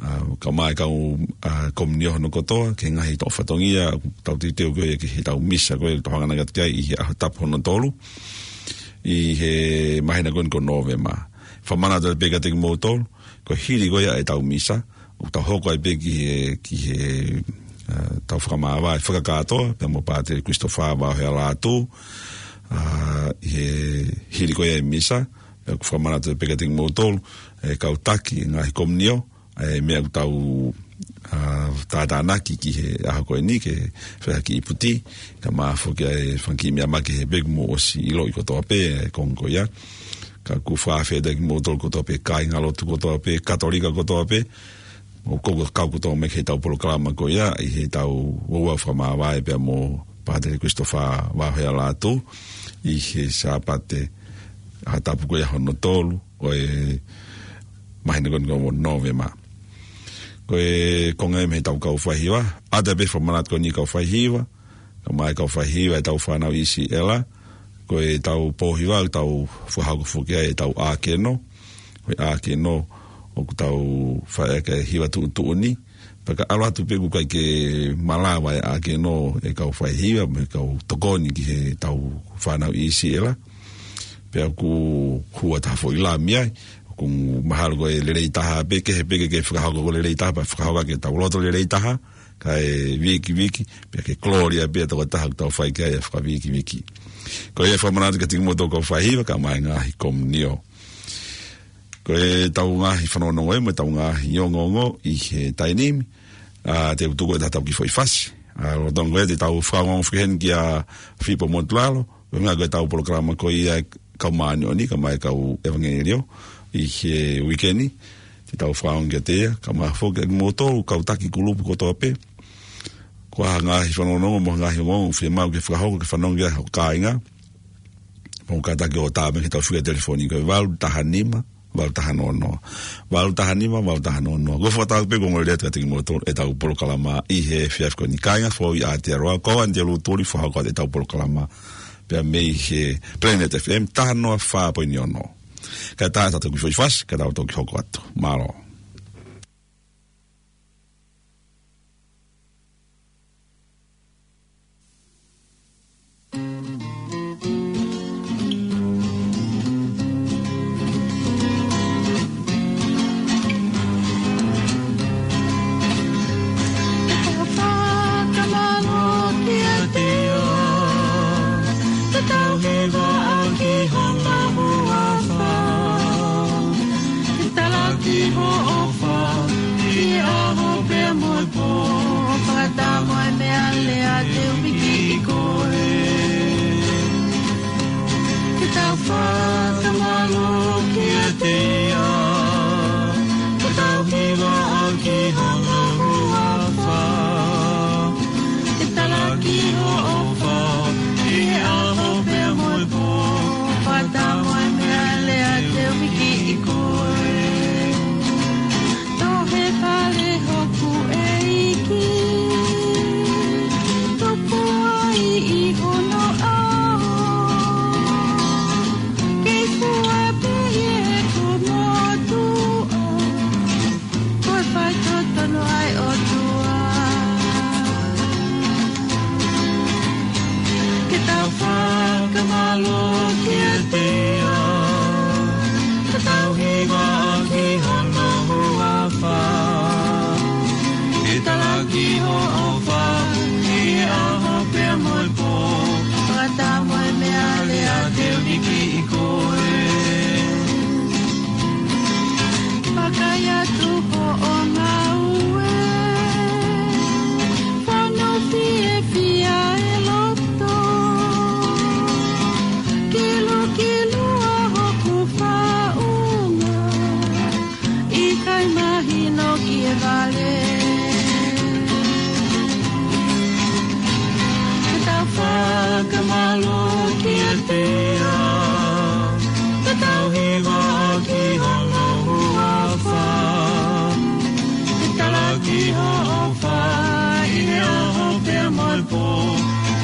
ʻa, kae ʻumaʻā e kau, ʻa, komiunio hono kotoa, ki he ngaahi toʻo fatongia, ʻoku tau teuteu ko ē ki heʻetau misa ko ē ʻoku tau hanganaki atu ki ai ʻi he ʻaho Tapu hono tolu, ʻi he māhina ko eni ko Nōvema. Fakamanatu pē kiate kimoutolu, ko e hili ko ia ʻetau misa, ʻoku tau hoko ai pē ki he, ki he, ʻa, tau fakamāvae fakakātoa, pea mo Pātele Christopher Vaohea Lātū, ʻa, ʻi he hili ko ia e misa, pea ʻoku fakamanatu pē kiate kimoutolu, e kau taki, ngaahi komiunio, e meʻa ʻoku tau, ʻa, tātānaki ki he ʻaho ko eni ke fai ha kiʻi puti, kae ʻumaʻā foki ʻa e fanga kiʻi meʻa makehe pē ʻoku mou ʻosi ʻiloʻi kotoa pē, e konga ko ia. Ka ʻoku fakafetaʻi kimoutolu kotoa pē, kāingalotu kotoa pē, Katolika kotoa pē, ʻoku kau, kau kotoa mai ki heʻetau polokalama ko ia, ʻi heʻetau ouau fakamāvae pea mo Pātele Christopher Vaohea Lātū, ʻi he Sāpate ʻaho Tapu ko ia hono tolu, ʻo e māhina ko eni ko Nōvema. Ko e konga ia mei heʻetau kau faihiva, ʻoatu pē fakamanatu ko eni kau faihiva, kae ʻumaʻā e kau faihiva ʻetau fānau ʻi Siʻela, ko ʻetau pōhiva, ʻoku tau fakahoko foki ai ʻetau ʻākeno, ko e ʻākeno ʻoku tau fai ʻaki e hiva tuʻutuʻuni, pea ka ʻalu atu pē ʻoku ʻikai ke malava e ʻākeno ʻe kau faihiva, mo e kau tokoni ki heʻetau fānau ʻi Siʻela, pea ʻoku hū atu ha foʻi lami ai, ʻoku mahalo ko e lelei taha pē, kehe pē ke, ke fakahoko ko e lelei taha, pea fakahoko ʻaki ʻetau loto lelei taha, kae vikiviki, pea ke Gloria pē tokotaha ʻoku tau fai ki ai e fakavikiviki. Ko ia e fakamanatu kiate kimoutolu kau faihiva, kae ʻumaʻā e ngaahi komiunio. Ko ʻetau ngaahi fanongonongo ē, mo ʻetau ngaahi ongoongo ʻi he taimi ni, ʻa, te u tuku atu ʻetau kiʻi foʻi fasi. ʻA, lolotonga ko ē te tau fakaongoongo foki heni kia Filipo Motulalo, ko e ngaahi ko ʻetau polokalama ko ia e kau māʻoniʻoni, kae ʻumaʻā e kau ʻevangeliō, ʻi he uike ni, te tau fakaongoongo kiate ia, kae ʻumaʻā foki kimoutolu, kau taki kulupu kotoa pē. Ko ha ngaahi fanongonongo, mo ha ngaahi ongoongo, fiemaʻu ke fakahoko, ke fanongo ki ai ho kāinga. Mou kātaki ʻo tā mai ki heʻetau fika telefoni ko e valu taha nima, valu taha noa noa. Valu taha nima, valu taha noa noa. Ko e fakatau pē ko e ongoongolelei atu kiate kimoutolu ʻetau polokalama ʻi he efiafi ko eni, kāinga Foʻui ʻa Aotearoa, ko au Anitelū Tuli, fakahoko atu ʻetau polokalama pea mei he Planet F M, taha noa fā poini ono. Kae tā ʻetau kiʻi foʻi fasi, kae tau toki hoko atu. Mālō. Mālō kiate ia, ka tau hiva ki hono huafa. Ke talaki hoʻo ʻofa, ʻi he ʻaho pea mo e pō. Fakataha mo e meʻa lea te u hiki ʻi koe. Vakai atu hoʻo ngāue, fonu fiefia e loto. Kilukilu ʻa hoku faʻunga, ʻikai mahino ki he vale. Ke tau fakamālō kiate ia, ke tau hiva ki hono huafa. Ke talaki hoʻo ʻofa, ʻi he ʻaho pea mo e pō.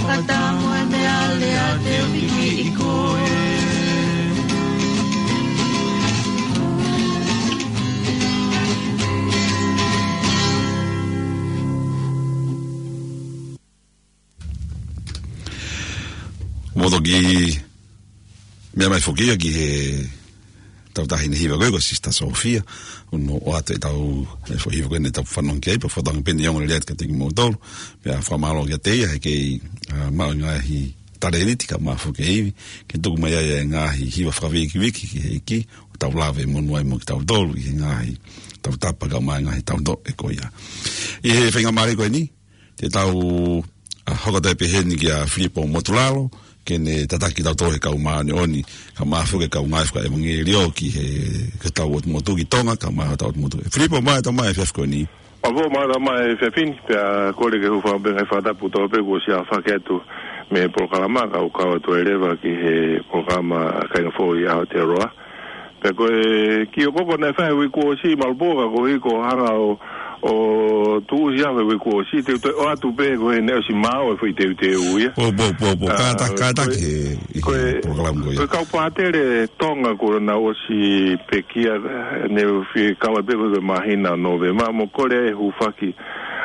Fakataha mo e meʻa lea te u hiki ʻi koe. Mo toki meʻa mai foki ia ki he tautahi naʻe hiva ko ē ko Sister Sophia, ʻo ʻoatu ʻetau, e foʻi hiva ko ē naʻa tau fanongo ki ai, pea fakatauange pē ʻe ongo lelei atu kiate kimoutolu, pea fakamālō kiate ia he kei, ʻa, maʻu e ngaahi talēniti kae ʻumaʻā foki e ivi, ke tuku mai ai e ngaahi hiva fakavīkiviki ki he ʻEiki, ʻo tau lave monū ai mo kitautolu ʻi he ngaahi tautapa kae ʻumaʻā e ngaahi tautoʻe ko ia. ʻI he faingamālie ko eni, te tau, ʻa, hoko atu pē heni kia Filipo Motulalo, ke ne tataki kitautolu he kau māʻoniʻoni, kae ʻumaʻā foki e kau ngāue fakaʻevangeliō ki he, ki hotau ʻotu motu ki Tonga, kae ʻumaʻā hotau ʻotu motu. Filipo, mālō e tau mai he efiafi ko eni. Mālō, mālō e tau mai he efiafi ni, pea kole ke u fakaʻamu pē ngaahi fakatapu kotoa pē kuo ʻosi ʻafaki atu mei he polokalama, kau kau atu ai leva ki he polokalama Kāinga Foʻou ʻi Aotearoa. Pea ko e kiʻi ʻokoʻoko naʻe fai he uike kuo ʻosi, Malupō, ka koeʻuhi ko e hanga ʻo, ʻo tuʻusi ʻa e uike kuo ʻosi, te u toe ʻoatu pē ko e naʻe ʻosi maʻu e foʻi teuteu ia. Pō, pō, pō, pō. ʻA, kātaki, ko e, kātaki he, ʻi ko he e, polokalama ko ia. Ko e kau pātele Tonga kuo nau ʻosi pekia, ʻe, naʻe fie kau ai pē ko e māhina ʻo Nōvema, mo kole e hūfaki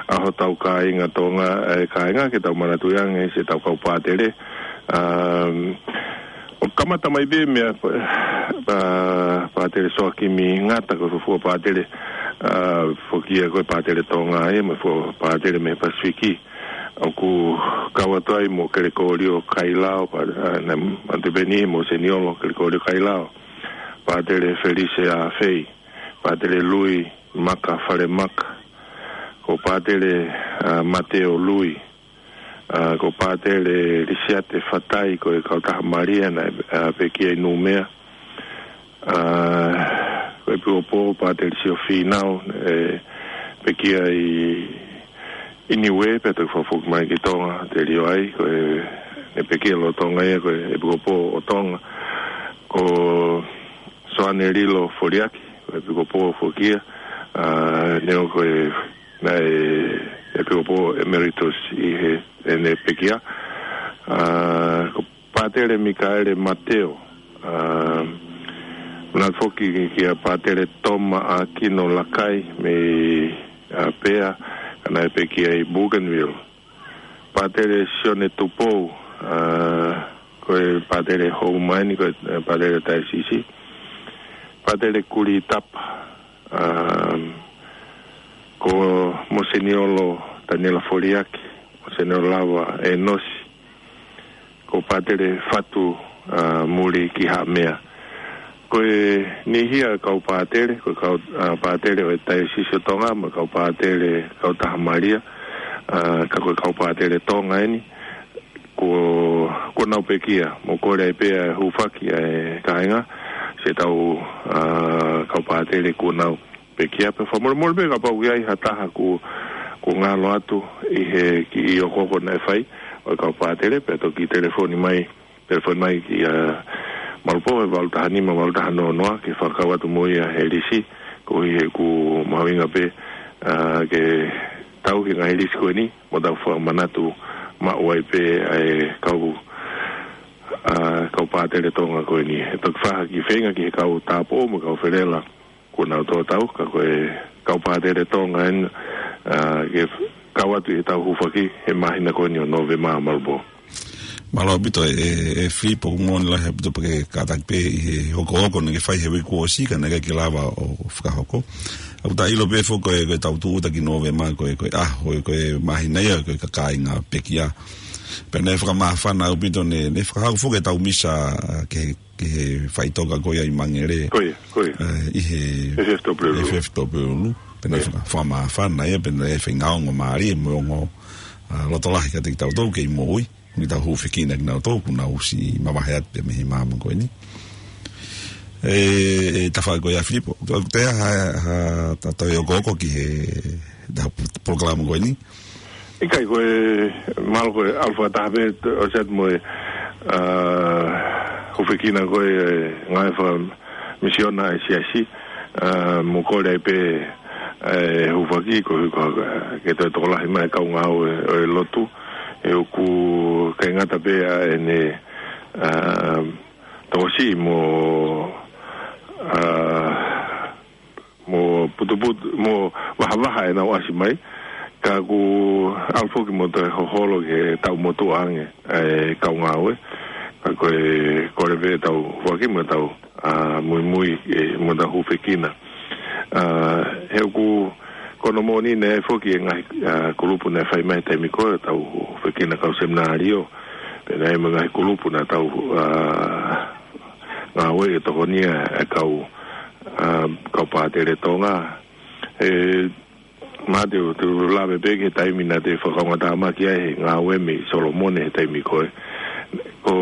ʻa hotau kāinga Tonga, e kāinga ke tau manatuʻi ange siʻetau kau pātele. Um, ʻO kamata mai pē meia, ʻa, Pātele Soakimi Ngata, ko e fuofua pātele, ʻa, foki ia ko e pātele Tonga ia, mo e fuofua pātele mei he Pasifiki. ʻOku kau atu ai mo Kelekōlio Kailao, pā-, ʻa, naʻe manatu pē eni mo Seniolo Kelekōlio Kailao. Pātele Felise ʻAfei, Pātele Lui Maka Falemaka, ko Pātele, ʻa, Mateo Lui, ʻa, ko Pātele Lisiate Fatai, ko e kautaha Malia naʻe, ʻa, pekia ʻi Nūmea. ʻA, ko e ʻEpikopō Pātele Sio Fīnau, ʻe, pekia ʻi, ʻi Niuē, pea toki fakafoki mai ki Tonga, te lio ai, ko e, naʻe pekia lolotonga ia, ko e ʻEpikopō ʻo Tonga, ko Soane Lilo Foliaki, ko e ʻEpikopō foki ia, ʻa, neongo ko e naʻe ʻEpikopō Emeritus ʻi he, ʻene pekia. ʻA, ko Pātele Mikaele Mateo, ʻa, manatu foki kia Pātele Toma ʻAkino Lakai mei, ʻa, Pea, ka naʻe pekia ʻi Bougainville. Pātele Sione Tupou, ʻa, ko e pātele Houma eni, ko e, ʻe, pātele Taiosisi. Pātele Kuli Tapa, ʻa, ko Moseniolo Taniela Foliaki, Moseniolo Lava ʻEnosi, ko Pātele Fatu, ʻa, Muli ki Haʻamea. Ko e niʻihi ia e kau pātele, ko e kau, ʻa, pātele ʻo e Taiosisi ʻo Tonga, mo e kau pātele kautaha Malia, ʻa, ka ko e kau pātele Tonga eni, kuo, kuo nau pekia, mo kole ai pē ʻa e hūfaki ʻa e kāinga, siʻetau, ʻa, kau pātele kuo nau pekia, pea fakamolemole pē kapau ʻoku ʻi ai ha taha kuo, kuo ngalo atu ʻi he kiʻi ʻokoʻoko naʻe fai ʻo e kau pātele, pea toki telefoni mai, telefoni mai kia Malupō he valu taha nima, valu taha noa noa, ke fakakau atu mo ia he lisi, koeʻuhi he ʻoku mahuʻinga pē, ʻa, ke tauhi e ngaahi lisi ko eni, mo tau fakamanatu maʻu ai pē ʻa e kau, ʻa, kau pātele Tonga ko eni. ʻE toki fai ha kiʻi feinga ki he kau tāupoʻou mo e kau felela kuo nau tō tau, ka ko e kau pātele Tonga eni, ʻa, ke kau atu ʻi heʻetau hūfaki he māhina ko eni ʻo Nōvema, Malupō. Mālō ʻaupito e, e, e Filipo, ʻoku moʻoni lahi ʻaupito pē ke kātaki pē ʻi he hokohoko naʻá ke fai he uike kuo ʻosi ka naʻe ʻikai ke lava ʻo fakahoko. ʻOku ta ʻilo pē foki ko e, ko e tau tūʻuta ki Nōvema ko e, ko e ʻaho, ko e māhina ia, ko e kāinga pekia. Pea naʻe fakamāfana ʻaupito naʻe, naʻe fakahoko foki e tau misa, ʻa, ki he, ki he faʻitoka ko ia ʻi Mangere. Ko ia, ko ia. ʻE, ʻi he F F W. F F W. Pea naʻe Ko ia. faka-, fakamāfana ia, pea naʻe faingaongo mālie mo e ongo, ʻa, loto lahi kiate kitautolu kei moʻui. Mo e tau hūfekina kinautolu, kuo nau ʻosi mavahe atu pē mei he maama ko eni. E, e tafaʻaki ko ia Filipo. Ko e hā, hā, ta tau ō ko ē ki he, ta polokalama ko eni. ʻIkai ko e, mahalo ko e ʻalu fakataha pē, ʻosi atu mo e, ʻa, hūfekina ko e, ngaahi faka-, misiona ʻa e siasi, ʻa, mo kole ai pē, ʻa e hūfaki ko, ko, ke toe tokolahi mai e kau ngāue ʻo e lotu, he ʻoku ʻikai ngata pē ʻa ʻene, ʻa, tokosiʻi mo, ʻa, mo putuputu, mo vahavaha ʻenau ʻasi mai, ka ʻoku ʻalu foki mo toe hoholo ke tau motuʻa ange e kau ngāue, ka ko e kole pē tau hūfaki mo tau, ʻa, muimui, ʻe, mo tau hūfekina. ʻA, he ʻoku, ko hono moʻoni naʻe foki e ngaahi, ʻa, kulupu naʻe fai mai he taimi ko ē tau hūfekina kau seminalio, pea naʻe mo e ngaahi kulupu naʻa tau, ʻa, ngāue ʻi he tokonia e kau, ʻa, kau pātele Tonga. E, Mate, ʻoku te lave pē ki he taimi naʻa te fakaongotāmaki ai he ngāue mei Solomone he taimi ko ē. Ko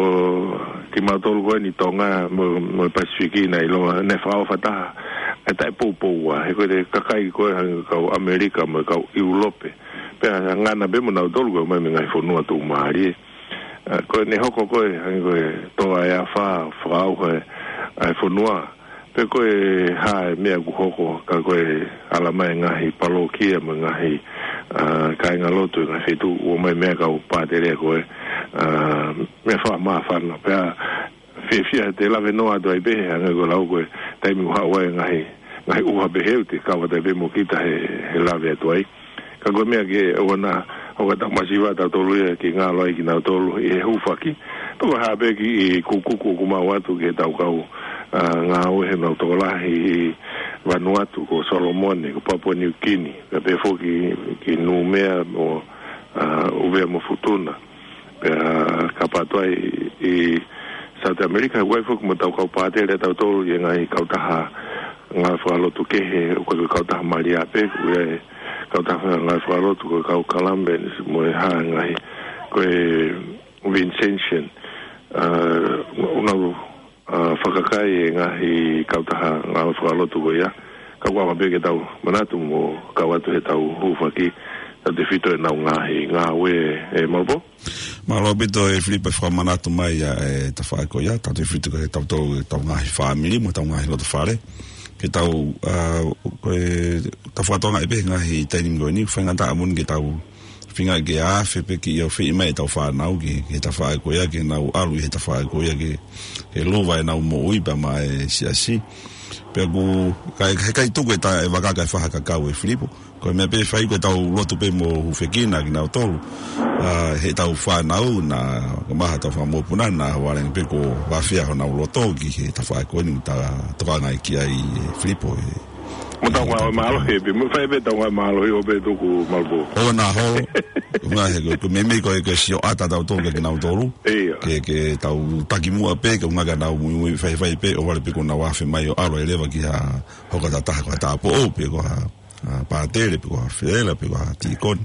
kimautolu ko eni Tonga mo, mo e Pasifiki naʻe ʻiloa, naʻe fakaʻofa taha e taʻe poupoua, he ko e kakai ko ē hangē ko e kau ʻAmelika mo e kau ʻIulope. Pea ngana pē mo nautolu ko e mai mei he ngaahi fonua tuʻumālie. ʻA, ko ʻene hoko ko ē, hangē ko e toa ʻe afā, fakaʻauha e, ʻa e fonua. Pe ko e hā e meʻa ʻoku hoko, ka ko e ala mai e ngaahi palokia mo e ngaahi, ʻa, kāingalotu, e ngaahi feituʻu, ʻomai meʻa kau pātele ko ē, ʻa, meʻa fakamāfana. Pea fiefia te lave noa atu ai pē, hangē ko e lau ko e taimi ʻoku haʻu ai e ngaahi, ngaahi ʻuha pehē ʻoku te kau atu ai pē mo kita he, he lave atu ai. Ka ko e meʻa ke ʻoua naʻa ʻoka tau masiva tautolu ia ke ngalo ai kinautolu ʻi he hūfaki. Pea ko e hā pē kiʻi kukuku ʻoku maʻu atu ki he tau kau, ʻa, ngāue he nau tokolahi ʻi Vanuatu, ko Solomone, ko Papua New Guinea, pea pehē foki ki Numea mo, ʻa, ʻUvea mo Futuna. Pea kapau ʻe ʻi South America, ʻoku ʻi ai foki mo tau kau pātele tautolu ʻi he ngaahi kautaha ngāue fakalotu kehe, ʻoku ʻikai ko e kautaha Malia pē, ʻoku ʻi ai e kautaha ngāue fakalotu ko e kau Columbians mo e hā ngaahi, ko e Vincentian, ʻa, ʻoku nau, ʻa, fakakakai e ngaahi kautaha ngāue fakalotu ko ia. Ka ʻoku ʻaonga pē ke tau manatu mo kau atu he tau hūfaki, tautefito ʻenau ngaahi ngāue, ʻe Malupo. Mālō ʻaupito e Filipo e fakamanatu mai ʻa e tafaʻaki ko ia, tautefito ko e tau tau, tau ngaahi fāmili mo tau ngaahi loto fale. Ke tau, ʻa, ko e tau fakatokangaʻi pē ngaahi taimi ko eni, faingataʻa moʻoni ke tau feinga ke afe pē ke ʻoua ʻe fai mai e tau fānau ki, ki he tafaʻaki ko ia, ke nau ʻalu ʻi he tafaʻaki ko ia ke, ke lava ʻenau moʻui pea maʻa e siasi. Pea ʻoku, ʻikai, ʻikai tuku e ta, e vaka kae fakakakau e Filipo. Ko e meʻa pē fai ko e tau lotu pē mo hūfekina kinautolu. ʻA, he tau fānau naʻa, ka maha tau fakamokopuna naʻa vālanga pē ko e vāfea honau loto ki he tafaʻaki ko eni ta tokangaʻi ki ai e Filipo e. Mo tau ngāue mālohi pē, mo fai pē tau ngāue mālohi ʻo pē tuku Malupo. ʻO na ho, ngā he ko, ko e meimei ko e, ko e sio ʻata tautolu kia kinautolu. ʻIo. Ke, ke tau taki muʻa pē, ke ʻuhinga ke nau muimui faifai pē, ʻo vale pē ko ʻenau afe mai ʻo ʻalu ai leva ki ha, hoka tataha ko ha tāupoʻou, pe ko ha, ʻa, pātele, pe ko ha fēlā, pe ko ha tīkoni.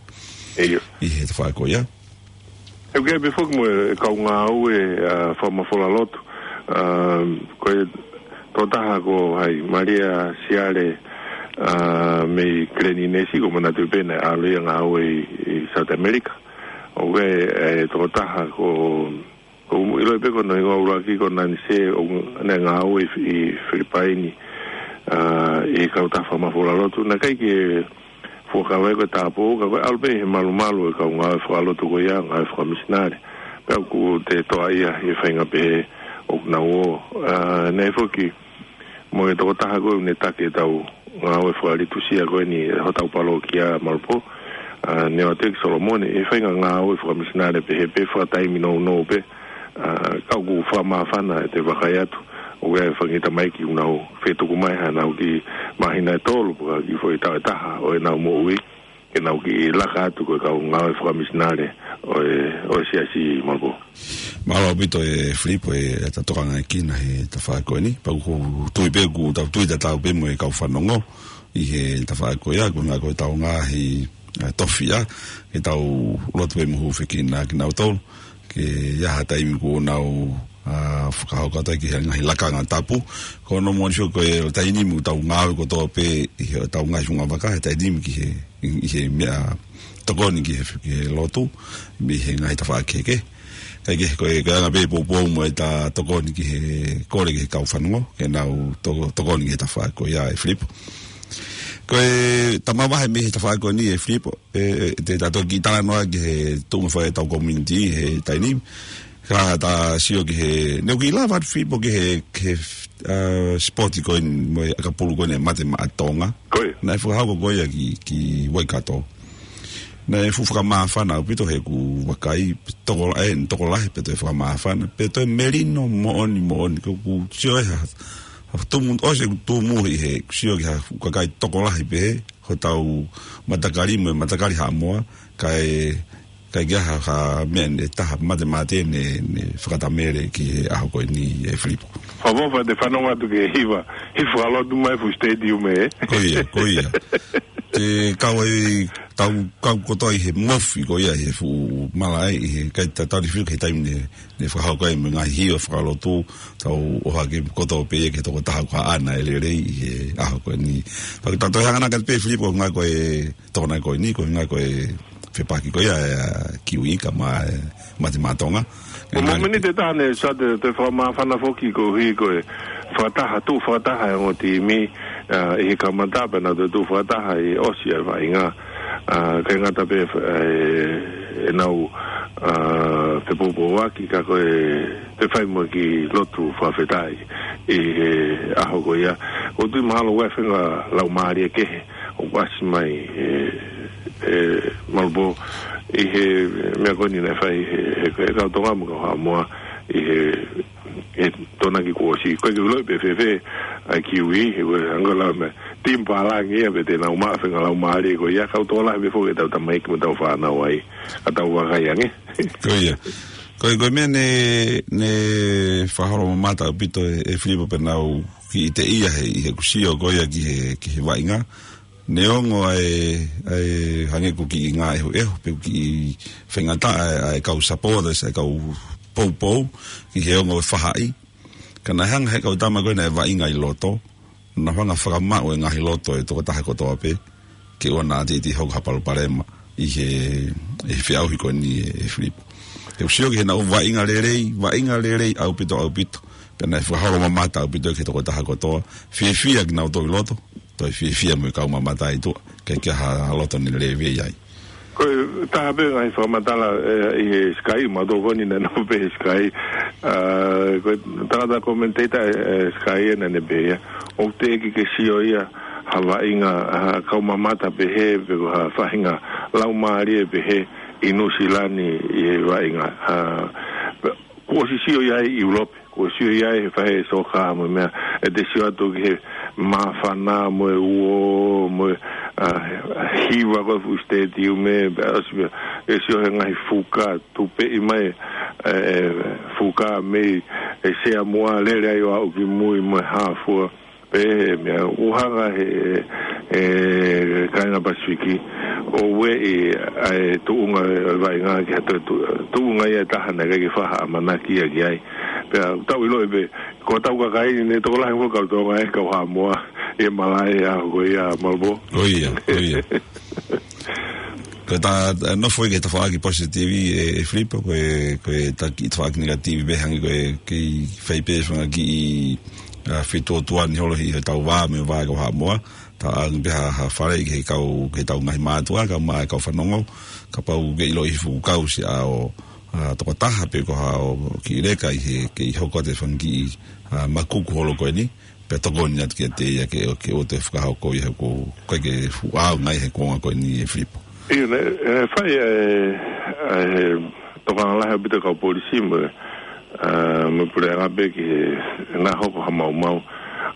ʻIo. ʻI he tafaʻaki ko ia. ʻOku ʻi ai pē foki mo e kau ngāue, ʻa, fakamafola lotu. ʻA, ko e tokotaha ko hai, Malia Siale, ʻa, mei Keleninesi, ʻoku ou manatu pē naʻe ʻalu ia ʻo ngāue ʻi, ʻi South America. ʻOku ʻi ai e tokotaha ko, ʻoku ou ʻiloʻi pē ko hono hingoa ʻuluaki ko Nanise, ʻoku ne ngāue ʻi, ʻi Filipaini, ʻa, ʻi he kautaha fakamafola lotu. Naʻe ʻikai ke fuakava ko e tāupoʻou, ka ko e ʻalu pē he malumalu e kau ngāue fakalotu ko ia, ngāue fakamisinale. Pea ʻoku te toa ia he faʻahinga pehē ʻoku nau ō. ʻA, naʻe foki mo e tokotaha ko ē ʻoku ne taki e tau ngāue fakalitusia ko eni, hotau palokia Malupo. ʻA, ne ʻoatu ʻe Solomone, ʻi he faʻahinga ngāue fakamisinale pē, he pē fakataimi nounou pē, ʻa, ka ʻoku fakamāfana ʻete vakai atu, ʻoku ʻi ai e fanga kiʻi tamaiki ʻoku nau fetuku mai haʻanau kiʻi māhina ʻe tolu, pe ko e kiʻi foʻi taʻu ʻe taha ʻo ʻenau moʻui, ke nau kiʻi laka atu ko e kau ngāue fakamisinale ʻo e, ʻo e siasi, Malipō. Mālō ʻaupito ʻe Filipo ʻeta tokangaʻi kinaua he tafaʻaki ko eni. Pea ʻoku ou tui pē, ʻoku tau tui tatau pē mo e kau fanongo ʻi he tafaʻaki ko ia, ko e ngaahi, ko ʻetau ngaahi, ʻa, tofiʻa, ke tau lotu pē mo hūfekina kinautolu, ke ʻi ai ha taimi kuo nau, ʻa, fakahoko atu ai ki he ngaahi lakanga tapu. Ko hono moʻoni foki ko e taimi ʻoku tau ngāue kotoa pē ʻi heʻetau ngaahi fungavaka, he taimi ki he, ʻi he meʻa tokoni ki he, ki he lotu, mei he ngaahi tafaʻaki kehekehe. Kae kehe, ko e, ko e anga pē poupou mo ʻeta tokoni ki he, kole ki he kau fanongo ke nau to-, tokoni ki he tafaʻaki ko ia ʻe Filipo. Ko e ta mavahe mei he tafaʻaki ko eni ʻe Filipo, ʻe, ʻe, te ta toki talanoa ki he tuʻunga fai ʻetau community he taimi ni. Ka ta sio ki he, ne u kiʻi lava atu Filipo ki he, ki he, ʻa, sipoti ko eni mo e ʻakapulu ko eni Mate Maʻa Tonga. Ko ia. Naʻe fakahoko ko ia ki, ki Waikato. Naʻe fuʻu fakamāfana ʻaupito he ʻoku vakai, tokolahi, ʻe, tokolahi pē toe fakamāfana, pea toe melino moʻoni moʻoni, ko ʻeku sio ʻe ha, ha tumu, ʻosi ʻeku tumu ʻi he, sio ki ha fuʻu kakai tokolahi pē he, hotau matakali mo e matakali Haʻamoa, kae, kae ʻikai ha, ha meʻa ne taha matemate ne, ne fakatamele ki he ʻaho ko eni ʻe Filipo. Fakaʻofoʻofa ʻete fanongo atu ki he hiva, hiva lotu mai fuʻu stadium ē. Ko ia, ko ia. Te kau ai, tau kau kotoa ʻi he mofi ko ia he fuʻu malaʻe, ʻi he kai tatali fiu ki he taimi ne, ne fakahoko ai mo e ngaahi hiva fakalotu, tau ʻohake kotoa pē ia ki he tokotaha ko haʻana ʻe lelei ʻi he ʻaho ko eni. Pea ke ta toe hanga ʻanai pē Filipo, ko e ngaahi ko e tokonaʻi ko eni, ko e ngaahi ko e fepaki ko ia ʻa e, ʻa, Kiwi kae ʻumaʻā e Mate Maʻa Tonga. Ko e ngaahi momeniti ʻe taha ne sa te, te fakamāfana foki koeʻuhi ko e fakataha, tuʻu fakataha e ongo timi, ʻa, ʻi he kamata pea nau toe tuʻu fakataha ʻi he ʻosi ʻa e vaʻinga. ʻA, ʻikai ngata pē, ʻe, ʻenau, ʻa, fepoupouaki ka ko e toe fai mo e kiʻi lotu fakafetaʻi ʻi he ʻaho ko ia. ʻOku ou tui mahalo ʻoku ʻi ai e faʻahinga laumālie kehe ʻoku ʻasi mai, ʻe, ʻe, Malipō, ʻi he meʻa ko eni naʻe fai he, he, he kau Tonga mo e kau Haʻamoa ʻi he, he Tokonaki kuo ʻosi. ʻOku ʻikai ke u ʻiloʻi pe fēfē ʻa e Kiwi, he ko e anga la me, timi pālangi ia pe te nau maʻu e faʻahinga laumālie ko ia, kau tokolahi pē foki ʻetau tamaiki mo ʻetau fānau ai, ka tau vakai ange. Ko ia. Ko e, ko e meʻa ne, ne fakaholo mamata ʻaupito ʻe, ʻe Filipo pea nau kiʻi teʻia he, ʻi heʻeku sio ko ia ki he, ki he vaʻinga. Neongo ʻa e, ʻa e hangē ʻoku kiʻi ngāʻehuʻehu, pe ʻoku kiʻi faingataʻa ʻa e, ʻa e kau supporters, ʻa e kau poupou, ki he ongo fahaʻi. Ka naʻe hanga he kau tama ko ē naʻe vaʻinga ʻi loto, naʻa nau hanga fakamaʻu e ngaahi loto ʻo e tokotaha kotoa pē, ke ʻoua naʻa teitei hoko ha palopalema ʻi he, ʻi he feʻauhi ko eni ʻe, ʻe Filipo. ʻOku ou sio ki heʻenau vaʻinga lelei, vaʻinga lelei ʻaupito, ʻaupito. Pea naʻe fakaholo mamata ʻaupito ki he tokotaha kotoa, fiefia kinautolu ʻi loto, toe fiefia mo e kau mamata ʻi tuʻa, ʻikai ke ʻi ai ha loto ne lēvei ai. Ko e taha pē ngaahi fakamatala, ʻe, ʻi he Sky, mautolu ko eni naʻa nau pehē he Sky, ʻa, ko e tangata commentator, ʻe, ʻe Sky ʻa ē naʻa ne pehē ia, ʻoku teʻeki ke sio ia ha vaʻinga, ha kau mamata pehē, pe ko ha faʻahinga laumālie pehē ʻi Nuʻusila ni ʻi he vaʻinga. ʻA, kuo ʻosi sio ia ʻi ʻIulope, kuo ʻosi sio ia he faʻahi soka mo e meʻa, ʻete sio atu ki he māfana mo e uo, mo e, ʻa, hiva ko e fuʻu stadium ē, pea ʻosi meʻa, ʻe sio he ngaahi fuka, tupeʻi mai, ʻe, fuka mei, ʻe Sea Moa, lele ai ʻo aʻu ki mui mo e hā fua, pehē meʻa, ʻoku hanga he, ʻe, kāinga Pasifiki, ʻo ueʻi ʻa e tuʻunga ʻo e vaʻinga ki ha toe tu-, tuʻunga ia ʻe taha naʻe ʻikai ke fai ha ʻamanaki ia ki ai. Pea tau ʻiloʻi pē, ko hotau kakai ni ne tokolahi mo e kau Tonga ʻe kau Haʻamoa, ʻi he malaʻe ʻaho ko ia Malipō. Ko ia, ko ia. Ko ʻeta, ʻe, nofo ʻi he tafaʻaki positive ʻe, ʻe Filipo, ko e, ko ʻeta kiʻi tafaʻaki negative pē hangē ko e kiʻi fai pē fanga kiʻi, ʻa, fetuotuani holo ʻi hotau vā mo e vā ʻo e kau Haʻamoa, ta ʻange pē ha, ha faleʻi ki he kau, ki heʻetau ngaahi mātuʻa, kae ʻumaʻā e kau fanongo, kapau ʻoku ke ʻiloʻi fuʻu kau siʻa ʻo, ʻa, tokotaha pe ko ha kiʻi leka ʻi he, ke ʻi hoko atu e fanga kiʻi, ʻa, makuku holo ko eni, pea tokoni atu kiate ia ke, ke ʻoua toe fakahoko ia he ʻoku ʻikai ke fuʻu ʻaonga ia he kuonga ko eni ʻe Filipo. ʻIo, ne, e, fai e, e, tokanga lahi ʻaupito kau polisi mo, a, mo puleʻanga pē ki he, naʻa hoko ha maumau.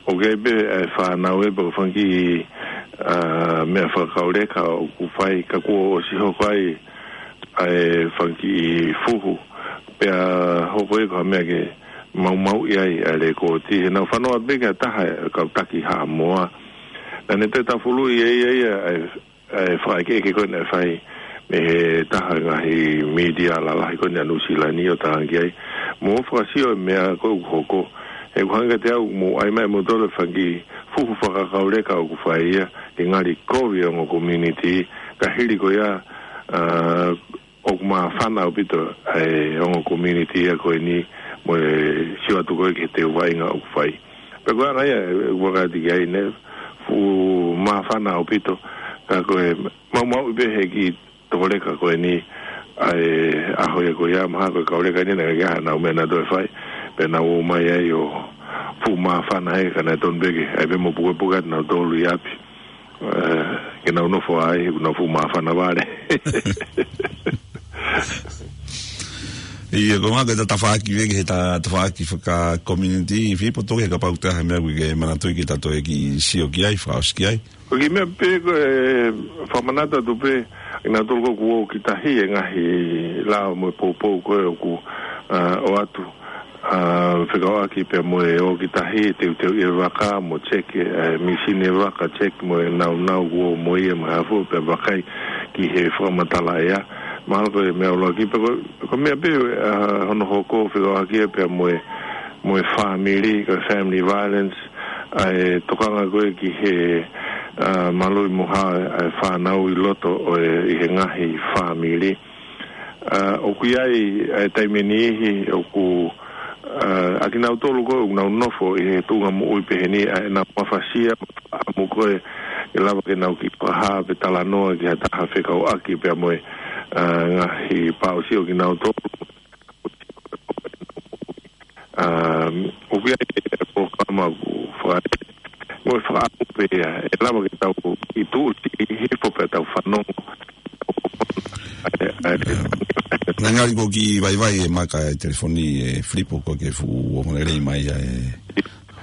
ʻOku ʻi ai pē e fānau ē pe ko e fanga kiʻi, a, meʻa fakakauleka ʻoku fai ka kuo ʻosi hoko ai, a, e fanga kiʻi fuhu. Pea hoko ia ko ha meʻa ke maumauʻi ai ʻa e lekooti. He naʻa ku fanongo pē ki ha taha e kau taki Haʻamoa. Naʻa ne toe tafuluʻi ia, ia, ia, e, e fakaʻekeʻeke ko ē naʻe fai mei he taha ngaahi mītia lalahi ko ē ʻa Nuʻu Sila ni ʻo tangaki ai. Mou fakasio e meʻa ko ē ʻoku hoko. He ʻoku hangē kiate au mou ʻai mai moutolu e fanga kiʻi fuhu fakakauleka ʻoku fai ia, ke ngali kovi e ongo community, ka hili ko ia, a, ʻoku māfana ʻaupito e ongo community ia ko eni mo e sio atu ko ē ki he teu vaʻinga ʻoku fai. Pea ko e anga ia, e, ʻoku ʻikai ke ʻi ai ne fuʻu māfana ʻaupito, ka ko e maumauʻi pē he kiʻi tokoleka ko eni, ʻa e ʻaho ia ko ia mahalo ko e kauleka ni naʻe ʻikai ke ʻi ai haʻanau meʻa naʻa nau toe fai, pea nau ō mai ai ʻo fuʻu māfana he ka naʻe tonu pē ke ʻai pē mo pukepuke atu nautolu ʻi ʻapi. E, ke nau nofo ai, he ʻoku nau fuʻu māfana vale. ʻIo, ko e ngaahi tafaʻaki veke, he ta-, tafaʻaki faka-community, Filipo, toki kapau te ha meʻa ʻoku ke manatuʻi ke ta toe kiʻi sio ki ai, fakaʻosi ki ai. Ko e kiʻi meʻa pē ko e fakamanatu atu pē, ʻi nautolu ko ē ʻoku ō ki tahi e ngaahi lao mo e poupou ko ē ʻoku, a, ʻoatu. A, fekauʻaki pea mo e ō ki tahi, teuteuʻi e vaka, mo check e, e, misini e vaka, check mo e naunau kuo mo ia mo e hā fua pea vakai ki he fakamatala ʻea. Mahalo ko e meʻa ʻuluaki pē ko, ko e meʻa pē, a, hono hoko fekauʻaki ia pea mo e, mo e fāmili, ko e family violence, ʻa e tokanga ko ē ki he, a, maluʻi mo hao e fānau ʻi loto ʻo e, ʻi he ngaahi fāmili. A, ʻoku ʻi ai, ʻa e taimi ʻe niʻihi ʻoku, a, ʻa kinautolu ko ē ʻoku nau nofo ʻi he tuʻunga moʻui pehē ni, ʻa ʻenau mafasia, ʻamu ko ē, ʻe lava ke nau kiʻi fakahā pe talanoa ki ha taha fekauʻaki pea mo e, a, ngaahi pāusi ʻo kinautolu. Um, ʻoku ʻi ai e polokalama ʻoku faka-, mo e fakaʻamu pē ia, ʻe lava ke tau ʻi tuʻu ʻi hifo pea tau fanongo. ʻE, ʻe, Naʻe ngali ko e kiʻi vaivai e maka e telefoni, e Filipo, ko e ke fuʻu ongo lelei mai ʻa e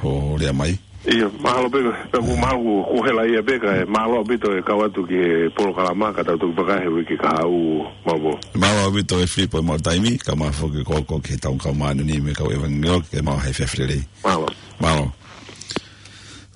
hoʻo lea mai. ʻIo, mahalo pē, pea ʻoku mahalo ʻoku hela ia pē ka e mālō ʻaupito e kau atu ki he polokalama ka tau toki vakai he uike kahaʻu, Maopō. Mālō ʻaupito e Filipo e maʻu taimi, kae ʻumaʻā foki ko ē ki he tau kau māʻoniʻoni mo e kau ʻevangeliō ke mau hai fefilelei. Mālō. Mālō.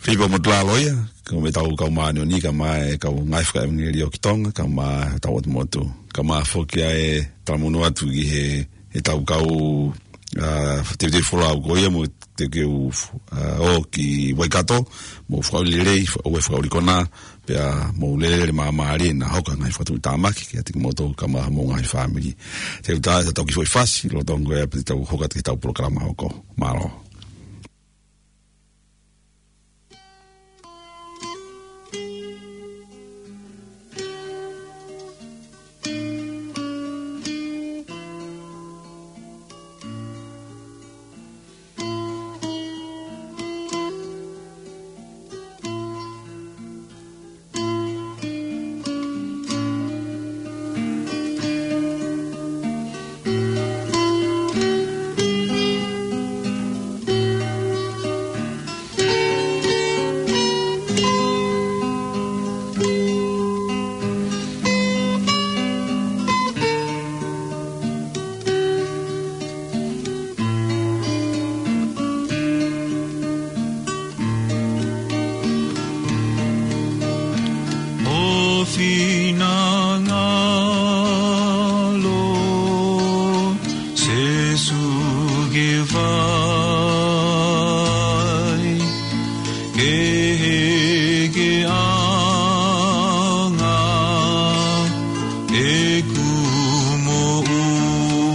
Filipo Motulalo ia, ko e meʻa tau kau māʻoniʻoni kae ʻumaʻā e kau ngāue fakaʻevangeliō ki Tonga, kae ʻumaʻā e tau ʻotu motu. Kae ʻumaʻā foki ʻa e talamonū atu ki he, he tau kau, a, teuteu folau ko ia mo te ke u, a, ō ki Waikato, mou fakaʻuli lelei, fa-, ʻoua ʻe fakaʻuli konā, pea mou lele māmālie naʻa hoko e ngaahi fakatuʻutāmaki, kiate kimoutolu kae ʻumaʻā homou ngaahi fāmili. Te u tā, te tau kiʻi foʻi fasi, lolotonga ia pea te tau hoko atu ki he tau polokalama hoko. Mālō. ʻO finangalo Sēsū ke fai, ke hekeʻanga ʻeku moʻui,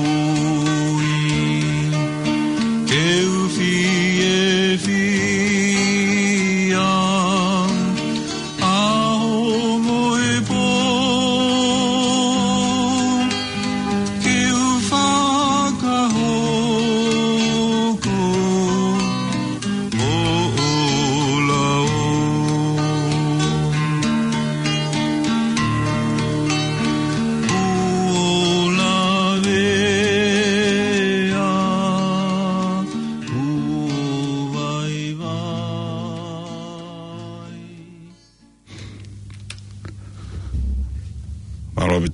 ke u fiefia ʻaho mo e pō, ke u fakahoko hoʻo lao.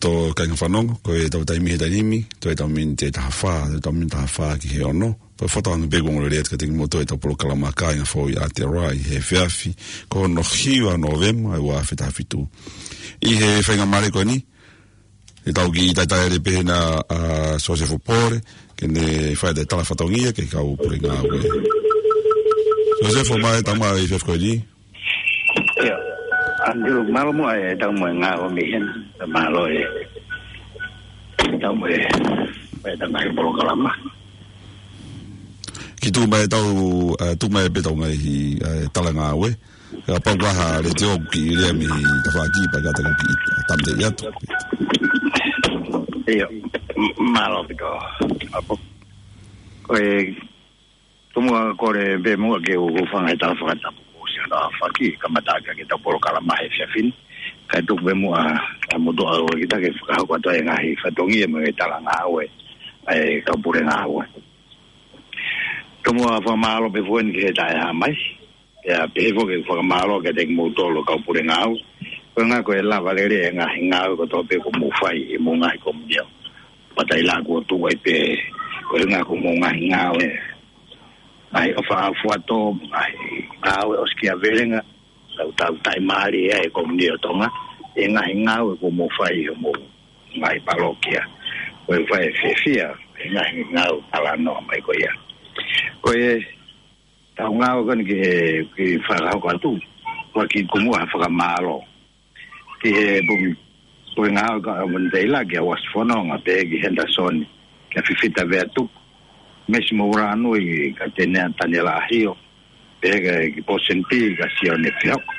Loto kāinga fanongo, ko ʻetau taimi he taimi ni, toe ʻetau miniti ʻe taha fā, toe ʻetau miniti taha fā ki he ono. Pea fakatauange pē kuo ongo lelei atu kiate kimoutolu ʻetau polokalama Kāinga Foʻou ʻi Aotearoa ʻi he efiafi, ko hono hiva Nōvema, ʻa e ua afe taha fitu. ʻI he faingamālie ko eni, ʻe tau kiʻi talitali pē hena ʻa Sosefo Pole, ke ne fai ʻa e tala fatongia ki he kau pule ngāue. Sosefo, mālō e tau mai he efiafi ko eni. ʻIo, Andrew, mālō muʻa e tau mai ngāue mei heni, mālō e tau mai, mai tau mai polokalama. Kiʻi tuku mai ʻetau, eh, tuku mai pē ʻetau ngaahi, eh, tala ngāue. Kapau ko ha letiō ʻoku kiʻi lea mei tafaʻaki pea ka tau kiʻi tāmateʻi atu. ʻIo, m-, mālō ʻaupito. ʻApo. Ko e, tomuʻa kole pē muʻa ke u hūfanga he tala fakatapu kuo ʻosi hono aofaki, kamata ʻaki ʻetau polokalama he efiafi ni. Kae tuku pē muʻa, ʻa motuʻa ʻo kita ke fakahoko atu e ngaahi fatongia mo e tala ngāue ʻa e kau pule ngāue. Tomuʻa fakamālō pē foki eni ki he taʻehāmai. Pea pehē foki e fakamālō kiate kimoutolu kau pule ngāue. Ko e ʻuhinga ko e lava lelei e ngaahi ngāue kotoa pē kuo mou fai ʻi homou ngaahi komiunitī. Pea taila kuo tuʻu ai pē, ko e ʻuhinga ko homou ngaahi ngāue. Ngaahi ʻofa ʻa fuato, ngaahi ngāue ʻosikiavelenga, lau tau taimali ʻa e komiunitī ʻo Tonga, e ngaahi ngāue kuo mou fai ʻi homou ngaahi palokia. Ko e fai e fiefia, e ngaahi ngāue talanoa mai ko ia. Ko e tau ngāue ko eni ki he, ki he fakahoko atu, ʻoku kiʻi tuku muʻa ha fakamālō. Ki he pumi, pule ngāue ka ʻamanteila ki a Wasi Fononga, pehē ki Henderson, ki a Fifita Veatuku, Mesi Mouranui, ka Tenea Taniela ʻAhio, pehē ki Posen P, ka Sione Fehoko.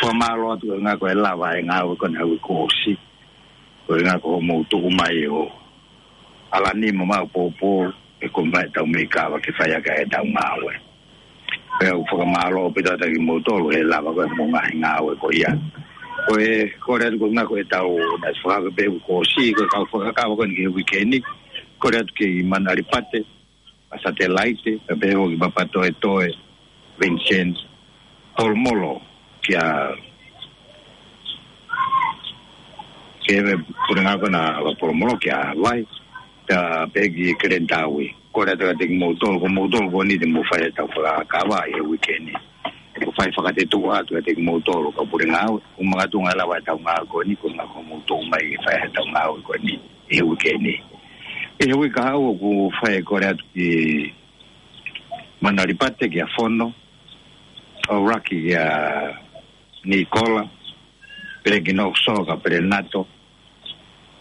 Fakamālō atu ko e ʻuhinga ko e lava e ngāue ko eni he uike kuo ʻosi. Ko e ʻuhinga ko hoʻomou tuʻu mai ʻo ʻalu ni mo mau pōpō, ʻe kumi mai ʻetau meʻi kava ke fai ʻaki ʻetau ngāue. Pea ʻoku fakamālō ʻaupito atu kimoutolu he lava ko ē homou ngaahi ngāue ko ia. Ko e, kole atu ko e ʻuhinga ko ʻetau, naʻe fakahoko pē he uike kuo ʻosi, ko e kau fakakava ko eni ki he uike ni, kole atu ki Manalipate, ʻa Satelaite, pea pehē foki ki Papatoetoe, Vincent, Polomolo, ki a, ki he pule ngāue ko ena ʻa Polomolo ki a Vai, pea pehē ki Keleni Taui. Kole atu kiate kimoutolu, ko moutolu ko eni te mou fai ʻetau fakakava ʻi he uike ni. Ko e fai fakatetuʻa atu kiate kimoutolu kau pule ngāue, ʻuhinga tuʻunga lava ʻetau ngāue ko eni, ko e ʻuhinga ko hoʻomou tuʻu mai ke fai ʻetau ngāue ko eni ʻi he uike ni. ʻI he uike kahaʻu ʻoku fai e kole atu ki Manalipate ki a Fono, ʻAuraki ki a Nikola, Pelekinoso ka Pelenato,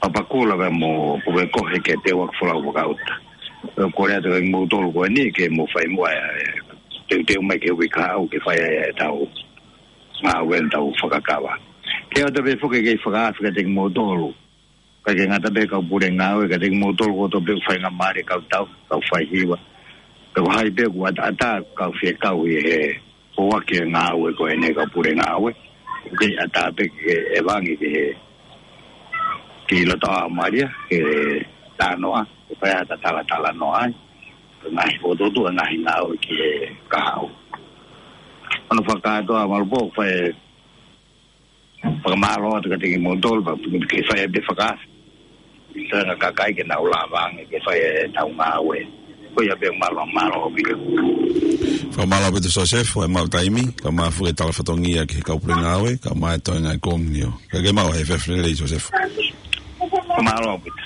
Papakura pea mo Pukekohe ki a Teuaki Folau Vakauta. Pea kole atu kiate kimoutolu ko eni ke mou fai muʻa e, e, teuteu mai ki he uike kahaʻu ke fai e, ʻetau ngāue ʻetau fakakava. Ke ʻoatu pē foki ke fakaafe kiate kimoutolu. Kae ʻikai ke ngata pē kau pule ngāue, kiate kimoutolu kotoa pē ʻoku faingamālie kau tau, kau faihiva. Pea ko hai pē ʻoku ʻataʻatā kau fie kau ʻi he foaki e ngāue ko eni kau pule ngāue. ʻOku kei ʻatā pē ke ʻevangi ki he, ki loto ʻAomalia, ke talanoa, ke fai ʻa e talatalanoa ai. Ngaahi fokotuʻutuʻu, ngaahi ngāue ki he kahaʻu. Hono fakakātoa Malupo, fai fakamālō atu kiate kimoutolu, pea ke fai pē fakaafe ki he kakai ke nau lava ange ke fai ʻetau ngāue. Ko ia pē, mālō, mālō ʻaupito. Fakamālō ʻaupito Sosefo, ʻi he maʻu taimi, kae ʻumaʻā foki e tala fatongia ki he kau pule ngāue, kae ʻumaʻā e toenga e komiunitī. Kae ke maʻu ha efiafi lelei Sosefo. Mālō ʻaupito.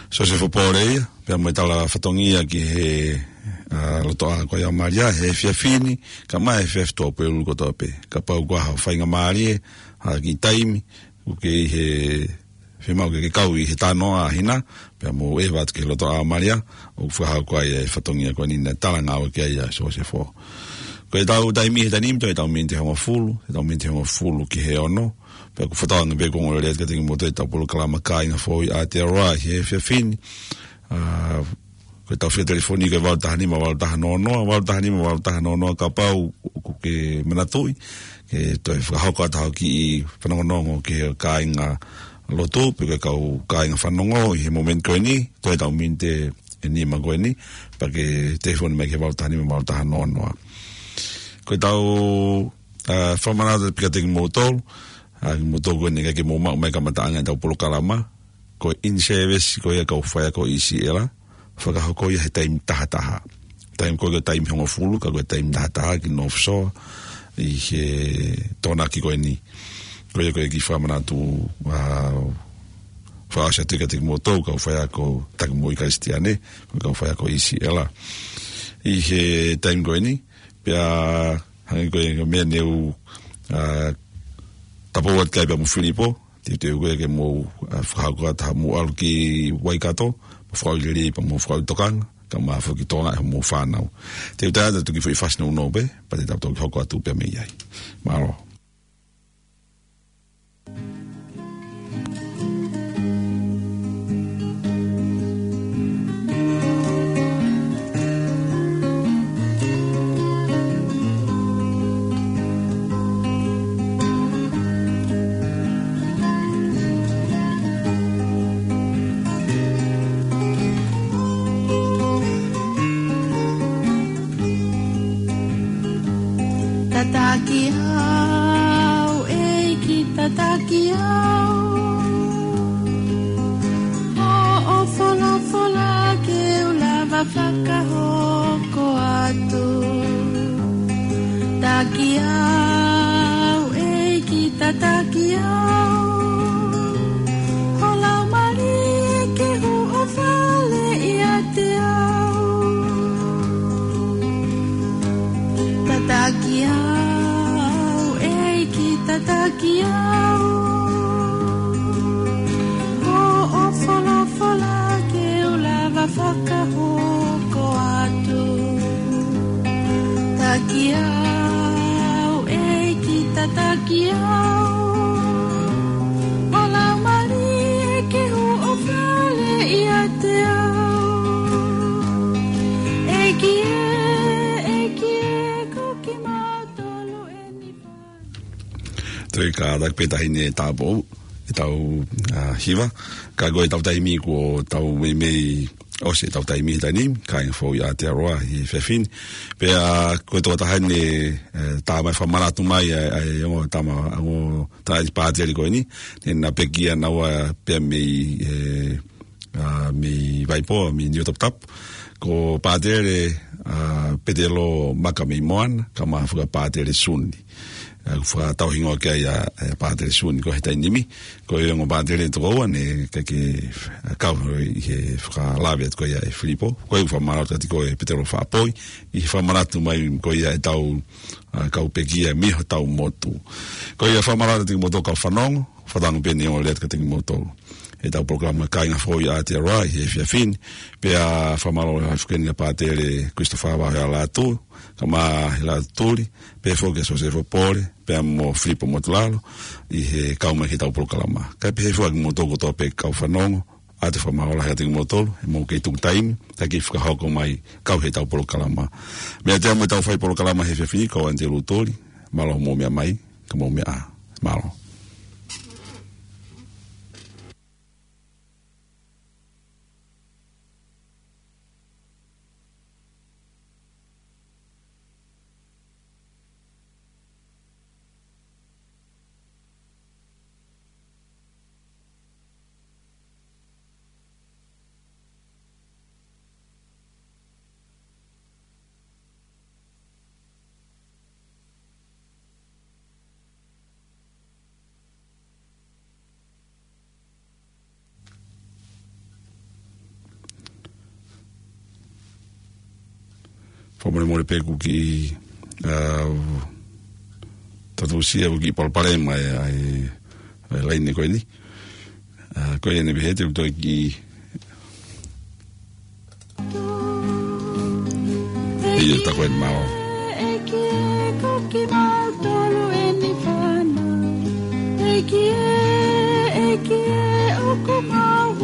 Sosefo Pole ia, pea mo e tala fatongia ki he, ʻa, lotoʻā ko ia ʻAomalia, he efiafi ni, kae ʻumaʻā e efiafi tuʻapulelulu kotoa pē. Kapau ko ha faingamālie, ha kiʻi taimi, ʻoku ke ʻi he, fiemaʻu ke ke kau ʻi he talanoa ʻa hina, pea mou ʻeva atu ki he lotoʻā ʻAomalia, ʻoku fakahoko ai e fatongia ko eni naʻe tala ngāue ki ai ʻa Sosefo. Ko ʻetau taimi he taimi ni, toe ʻetau miniti ʻe hongofulu, ʻetau miniti ʻe hongofulu ki he ono, pea ʻoku fakatauange pē kuo ongo lelei atu kiate kimoutolu ʻetau polokalama Kāinga Foʻou ʻi Aotearoa ʻi he efiafi ni. ʻA, ko ʻetau fika telefoni ko e valu taha nima, valu taha noa noa, valu taha nima, valu taha noa noa, kapau ʻoku ke manatuʻi ke toe fakahoko atu ha kiʻi fanongonongo ki he kāinga lotu, pe ko e kau kāinga fanongo ʻi he momeniti ko eni, toe ʻetau miniti ʻe nima ko eni, pea ke telefoni mai ki he valu taha nima, valu taha noa noa. Ko ʻetau, ʻa, fakamanatu pē kiate kimoutolu, ʻa kimoutolu ko eni ʻikai ke mou maʻu mai kamataʻanga ʻetau polokalama, ko e in-service ko ia kau faiako ʻi Siʻela, fakahoko ia he taimi taha taha. Taimi ko ia ko e taimi hongofulu, ka ko e taimi taha taha ki North Shore, ʻi he Tokonaki ko eni. Ko ia ko e kiʻi fakamanatu, ʻa, fakaʻosi atu kiate kimoutolu kau faiako taki moʻui Kalisitiane, kau faiako ʻi Siʻela. ʻI he taimi ko eni, pea hangē ko e meʻa ne u, ʻa, tapou atu ki ai pea mo Filipo, teuteu ko ia ke mou, ʻa, fakahoko atu haʻamou ʻalu ki Waikato, mo fakaʻuli lelei pea mo fakaʻuli tokanga, kae ʻumaʻā foki Tonga ʻi hoʻomou fānau. Te u tae atu ki he foʻi fasi nounou pē, pea te tau toki hoko atu pē mei ai. Mālō. Tataki au, ʻEiki, tataki au. Hoʻo folofola ke u lava fakahoko atu. Taki au, ʻEiki, tataki au. Ho Laumālie ke huʻo fale ʻiate au. Tataki au, ʻEiki, tataki au. Hoʻo folofola ke u lava fakahoko atu. Taki au, ʻEiki, tataki au. Ho Laumālie ke huʻo fale ʻiate au. ʻEiki ē, ʻEiki ē, ko kimautolu eni fānau. Toe kātaki pē taha eni e tāupoʻou ʻetau, ʻa, hiva. Ka ko ʻetau taimi kuo tau meimei ʻosi ʻetau taimi he taimi ni, kāinga foʻou ʻi Aotearoa he efiafi ni. Pea ko e tokotaha eni, ʻe, tā mai fakamanatu mai, ʻa, ʻa, ʻa e ongo tama, ʻa, ongo tangataʻeiki pātele ko eni, ne na pekia naua pea mei, ʻe, ʻa, mei Vaipō, mei Niuatoputapu. Ko Pātele, ʻa, Petelo Maka mei Moana, kae ʻumaʻā foki ʻa Pātele Suni. ʻA, fakatauhingoa ki ai ʻa, ʻa Pātele Suni ko e he taimi ni. Ko e ongo pātele toko ua ne ʻikai ke, ʻa, kau ʻi he fakalave atu ko ia ʻe Filipo. Ko ia ʻoku fakamālō atu kiate koe Petelo Faʻapoi, ʻi he fakamanatu mai ko ia ʻetau, ʻa, kau pekia mei hotau motu. Ko ia fakamālō atu kiate kimoutolu kau fanongo, fakatauange pē ne ongo lelei atu kiate kimoutolu ʻetau polokalama Kāinga Foʻou ʻi Aotearoa ʻi he efiafi ni. Pea fakamālō atu foki eni kia Pātele Christopher Vahealatu, kae ʻumaʻā Hilatu Tuli, pehē foki kia Sosefo Pole, pea mo Filipo Motulalo, ʻi he kau mai ki heʻetau polokalama. Kae pehē foki kimoutolu kotoa pē kau fanongo, ʻoatu e fakamālō lahi kiate kimoutolu, he mou kei tuku taimi, kae kei fakahoko mai kau heʻetau polokalama. Meiate au mo ʻetau fai polokalama he efiafi ni, ko au Antelū Tuli, mālō hoʻomou meʻa mai, ka mou meʻa ā. Mālō. Fakamolemole pē kuo kiʻi, ʻa, tatusia kuo kiʻi palopalema ʻa e, ʻa e, ʻa e laine ko eni. ʻA, ko ia ne pehē te u toe kiʻi ʻIo, tā ko eni mālō. ʻEiki ē, ko kimautolu eni fānau. ʻEiki ē, ʻEiki ē, ʻoku mau